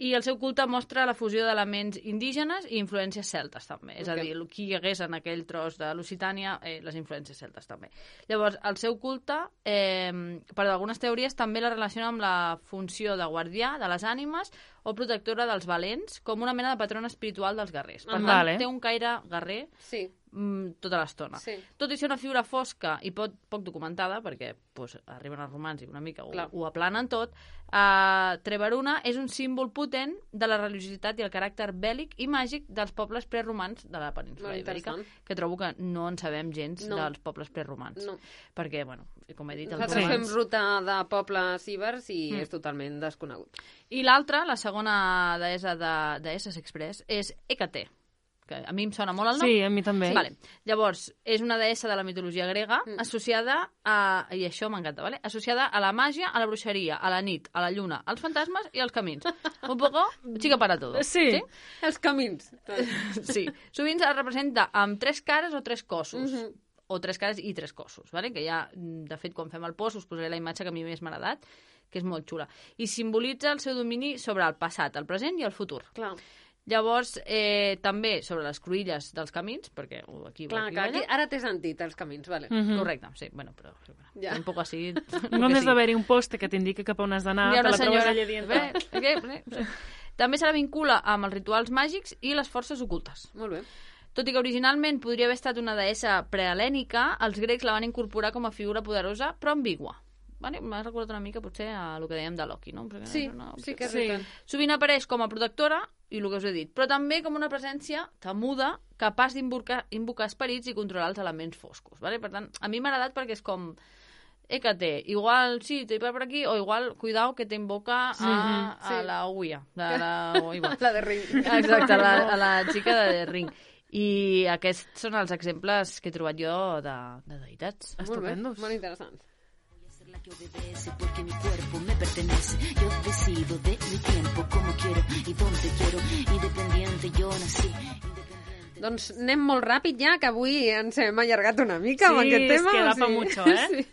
i el seu culte mostra la fusió d'elements indígenes i influències celtes, també. És a dir, qui hi hagués en aquell tros de Lusitània, les influències celtes, també. Llavors, el seu culte, per algunes teories, també la relaciona amb la funció de guardià de les ànimes o protectora dels valents, com una mena de patrona espiritual dels guerrers. Per tant, té un caire guerrer tota l'estona. Sí. Tot i ser una figura fosca i poc documentada, perquè arriben els romans i una mica ho aplanen tot, Trevaruna és un símbol potent de la religiositat i el caràcter bèl·lic i màgic dels pobles preromans de la península ibèrica, que trobo que no en sabem gens dels pobles preromans. No. Perquè, com he dit... Nosaltres fem ruta de pobles ibers i és totalment desconegut. I l'altra, la segona deessa de Deesses Express, és Hècate, que a mi em sona molt el nom. Sí, a mi també. Vale. Llavors, és una deessa de la mitologia grega associada i això m'encanta, ¿vale? Associada a la màgia, a la bruixeria, a la nit, a la lluna, als fantasmes i als camins. Un poco chica para todo. Sí? Els camins. Sí. Sovint es representa amb 3 cares o 3 cossos. o 3 cares i 3 cossos, ¿vale? Que ja, de fet, quan fem el post us posaré la imatge que a mi més m'ha agradat, que és molt xula. I simbolitza el seu domini sobre el passat, el present i el futur. Clar. Llavors, també sobre les cruïlles dels camins, perquè aquí... Clar, que aquí, ara té sentit, els camins, vale. Correcte, sí, bueno, però... Ja. Un poc així... No n'és d'haver-hi un poste que t'indiqui cap on has d'anar, Hi ha te una la trobes senyora... allà dient... També se la vincula amb els rituals màgics i les forces ocultes. Molt bé. Tot i que originalment podria haver estat una deessa prehelènica, els grecs la van incorporar com a figura poderosa, però ambigua. Vale? M'ha recordat una mica, potser, a el que dèiem de Loki, no? Perquè Sí, sí que és veritat. Sovint apareix com a protectora, i el que us he dit, però també com una presència temuda, capaç d'invocar esperits i controlar els elements foscos. Vale? Per tant, a mi m'ha agradat perquè és com... Hécate, igual sí, te va per aquí, o igual, cuidao, que t'invoca a la Ouija. La de Ring. Exacte, a la xica de Ring. I aquests són els exemples que he trobat jo de deïtats. Estupendos. Molt interessants. La que obedece porque mi cuerpo me pertenece. Yo decido de mi tiempo como quiero y donde quiero. Independiente yo nací. Doncs anem molt ràpid ja, que avui ens hem allargat una mica amb aquest tema. Sí, es queda pa mucho, eh? Sí.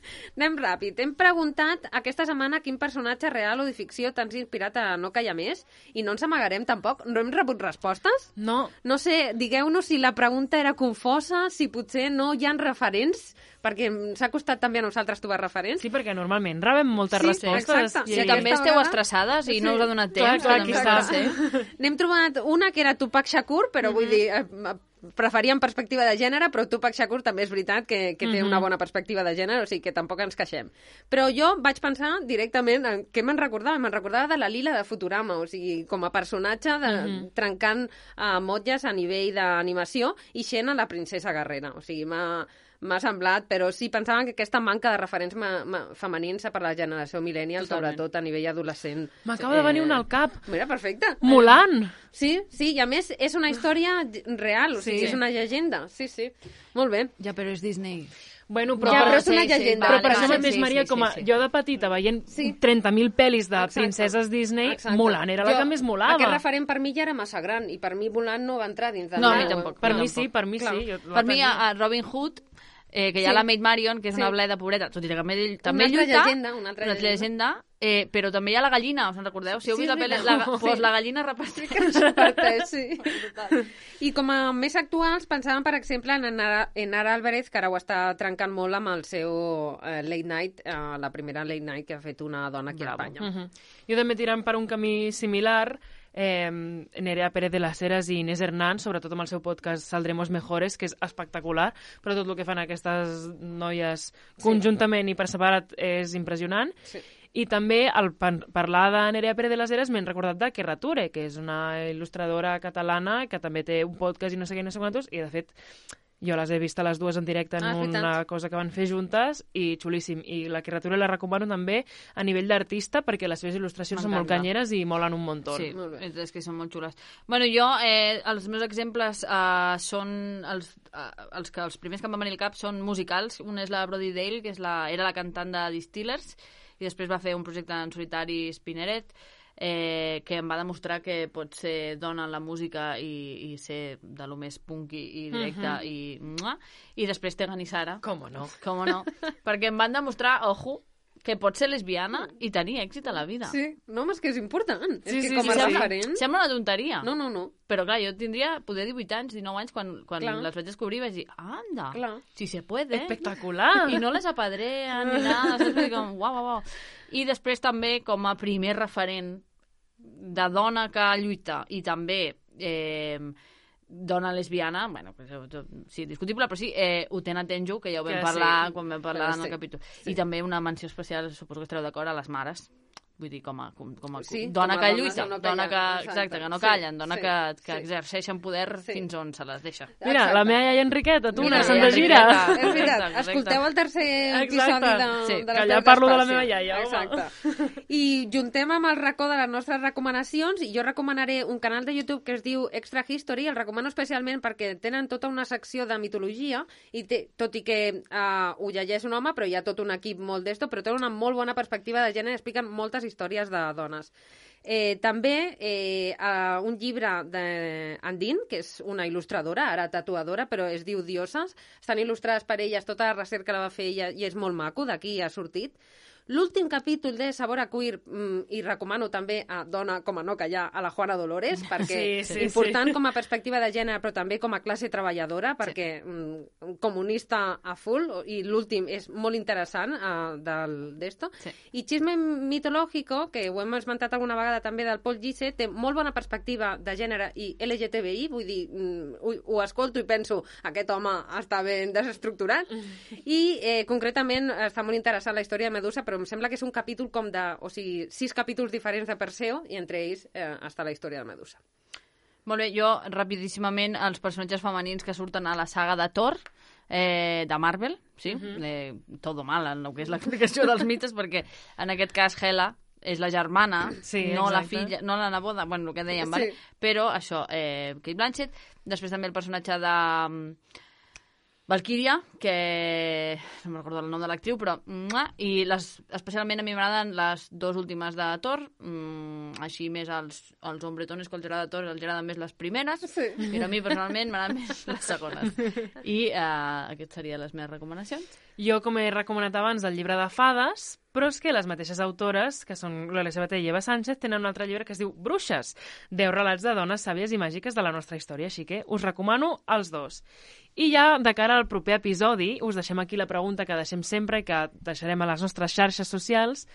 Anem ràpid. Hem preguntat aquesta setmana quin personatge real o de ficció t'has inspirat a no callar més i no ens amagarem tampoc. No hem rebut respostes? No. No sé, digueu-nos si la pregunta era confosa, si potser no hi ha referents, perquè s'ha costat també a nosaltres trobar referents. Sí, perquè normalment rebem moltes respostes. Exacte. Si també esteu estressades i no us ha donat temps. Clar, aquí està. N'hem trobat una que era Tupac Shakur, però vull dir, preferia en perspectiva de gènere, però Tupac Shakur també és veritat que té una bona perspectiva de gènere, o sigui que tampoc ens queixem. Però jo vaig pensar directament en què me'n recordava. Me'n recordava de la Lila de Futurama, o sigui, com a personatge trencant motlles a nivell d'animació i sent a la princesa guerrera. O sigui, m'ha semblat, però sí, pensaven que aquesta manca de referents femenins per la generació millennial, sobretot a nivell adolescent. M'acaba de venir una al cap. Mira, perfecte. Mulan. Sí, i a més és una història real, o sigui, és una llegenda. Sí, molt bé. Ja, però és Disney. Bueno, però és una llegenda. Però per això mateix, Maria, com jo de petita veient 30.000 pel·lis de princeses Disney, Mulan era la que més molava. Aquest referent per mi ja era massa gran, i per mi Mulan no va entrar dins de... No, a mi tampoc. Per mi sí. Per mi, a Robin Hood, que hi ha la Maid Marion, que és una bleda pobreta, tot i que també lluita, una altra llegenda, però també hi ha la gallina, us en recordeu? Si heu vist la pel·li, la gallina reparteix. Sí. I com a més actuals, pensàvem, per exemple, en Nara Álvarez, que ara ho està trencant molt amb el seu late night, la primera late night que ha fet una dona aquí a Espanya. Jo també tirant per un camí similar, Nerea Pérez de las Heras i Inés Hernán, sobretot amb el seu podcast Saldremos Mejores, que és espectacular, però tot el que fan aquestes noies conjuntament i per separat és impressionant. Sí. I també, al parlar de Nerea Pérez de las Heras, m'he recordat de Kerra Ture, que és una il·lustradora catalana que també té un podcast i no sé què, no sé quantos, i de fet jo les he vist a les dues en directe en una cosa que van fer juntes i xulíssim. I la Kerra Ture la recomano també a nivell d'artista perquè les seves il·lustracions són molt canyeres i molen un muntó. Sí, és que són molt xules. Bueno, jo, els meus exemples són els primers que em van venir al cap són musicals. Un és la Brody Dale, que era la cantant de Distillers, i després va fer un projecte en solitari, Spinneret, que em va demostrar que pot ser dona en la música i ser de lo més punky i directe i després Tegan i Sara. Com no? Perquè em van demostrar, ojo, que pot ser lesbiana i tenir èxit a la vida. Sí, no, és que és important. És que com a referent... Sembla una tonteria. No. Però clar, jo tindria poder 18 anys, 19 anys, quan les vaig descobrir vaig dir, anda, si se puede. Espectacular. I no les apadrean ni nada, saps? Com, uau. I després també, com a primer referent de dona que lluita i també dona lesbiana, bueno, sí, discutible, però sí, Utena Tenjo, que ja ho vam parlar quan vam parlar en el capítol. I també una menció especial, suposo que estareu d'acord, a les mares. Vull dir, com a dona que lluita, dona que no callen, dona que exerceixen poder fins on se les deixa. Mira, la meva iaia Enriqueta, tu, una Santa Gira. És veritat, escolteu el tercer episodi de les que allà parlo de la meva iaia. Exacte. I juntem amb el racó de les nostres recomanacions, i jo recomanaré un canal de YouTube que es diu Extra History, el recomano especialment perquè tenen tota una secció de mitologia, i tot i que ho llegeix un home, però hi ha tot un equip molt d'esto, però tenen una molt bona perspectiva de gènere, expliquen moltes històries de dones. També un llibre d'Andine, que és una il·lustradora, ara tatuadora, però es diu Dioses. Estan il·lustrades per elles, tota la recerca la va fer ella i és molt maco, d'aquí ha sortit. L'últim capítol de Sabor a Queer, i recomano també a Dona com a no callar, a la Juana Dolores, perquè important com a perspectiva de gènere, però també com a classe treballadora, perquè comunista a full, i l'últim és molt interessant d'esto. I Chisme Mitológico, que ho hem esmentat alguna vegada també del Paul Gise, té molt bona perspectiva de gènere i LGTBI, vull dir, ho escolto i penso, aquest home està ben desestructurat, i concretament està molt interessant la història de Medusa, però em sembla que és un capítol com de... O sigui, 6 capítols diferents de Perseo i entre ells està la història de Medusa. Molt bé, jo, rapidíssimament, els personatges femenins que surten a la saga de Thor, de Marvel, sí? Todo mal en el que és l'explicació dels mites, perquè en aquest cas Hela és la germana, no la filla, no la neboda, bueno, el que dèiem, vale? Però això, Kate Blanchett, després també el personatge de Valkyria, que no me'n recordo el nom de l'actriu, però... I especialment a mi m'agraden les 2 últimes de Thor, així més als hombretones que els agrada Thor, els agraden més les primeres, però a mi personalment m'agraden més les segones. I aquestes serien les meves recomanacions. Jo, com he recomanat abans, el llibre de fades, però és que les mateixes autores, que són l'Elisabet i Eva Sánchez, tenen un altre llibre que es diu Bruixes, 10 relats de dones sàvies i màgiques de la nostra història, així que us recomano els 2. I ja, de cara al proper episodi, us deixem aquí la pregunta que deixem sempre i que deixarem a les nostres xarxes socials.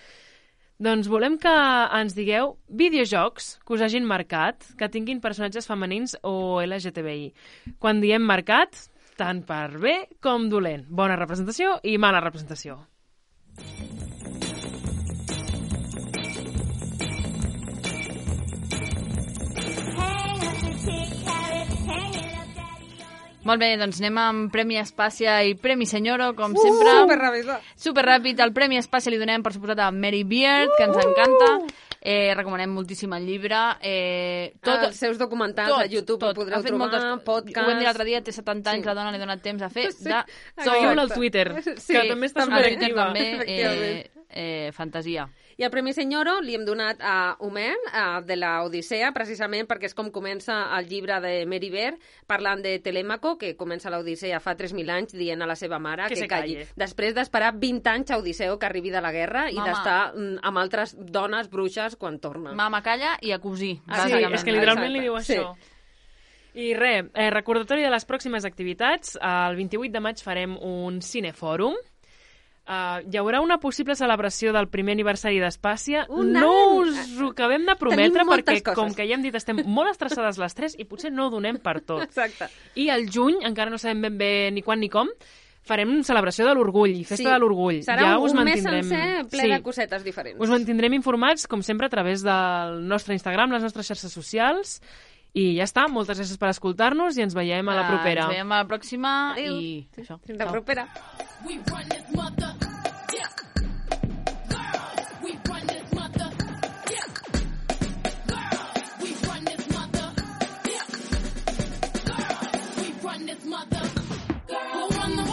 Doncs volem que ens digueu videojocs que us hagin marcat, que tinguin personatges femenins o LGTBI. Quan diem marcat, tant per bé com dolent. Bona representació i mala representació. Molt bé, doncs anem amb Premi Espàcia i Premi Senyoro, com sempre. Superràpid. El Premi Espàcia li donem, per suposat, a Mary Beard, que ens encanta. Recomanem moltíssim el llibre. Els seus documentals a YouTube ho podreu trobar, podcast... Ho vam dir l'altre dia, té 70 anys, la dona li ha donat temps a fer de tot. Seguiu-la al Twitter, que també està superactiva. Fantasia. I el Premi Senyoro li hem donat a Homer, de l'Odissea, precisament perquè és com comença el llibre de Mary Beard, parlant de Telèmaco, que comença l'Odissea fa 3.000 anys dient a la seva mare que calli. Després d'esperar 20 anys a Odisseu que arribi de la guerra i d'estar amb altres dones bruixes quan torna. Mama, calla i a cosir. Sí, és que literalment li diu això. I res, recordatori de les pròximes activitats. El 28 de maig farem un cinefòrum. Hi haurà una possible celebració del primer aniversari d'Espàcia. No us ho acabem de prometre perquè, com que ja hem dit, estem molt estressades les 3 i potser no ho donem per tot. Exacte. I al juny, encara no sabem ben bé ni quan ni com, farem celebració de l'orgull, festa de l'orgull. Serà un mes sencer ple de cosetes diferents. Us mantindrem informats, com sempre, a través del nostre Instagram, les nostres xarxes socials. I ja està, moltes gràcies per escoltar-nos i ens veiem a la propera. Ens veiem a la pròxima. Adéu. I això. Fins la propera. We run this mother, yeah. Girls, we run this mother, yeah. Girls, we run this mother, yeah. Girls, we run this mother. Girls, who run the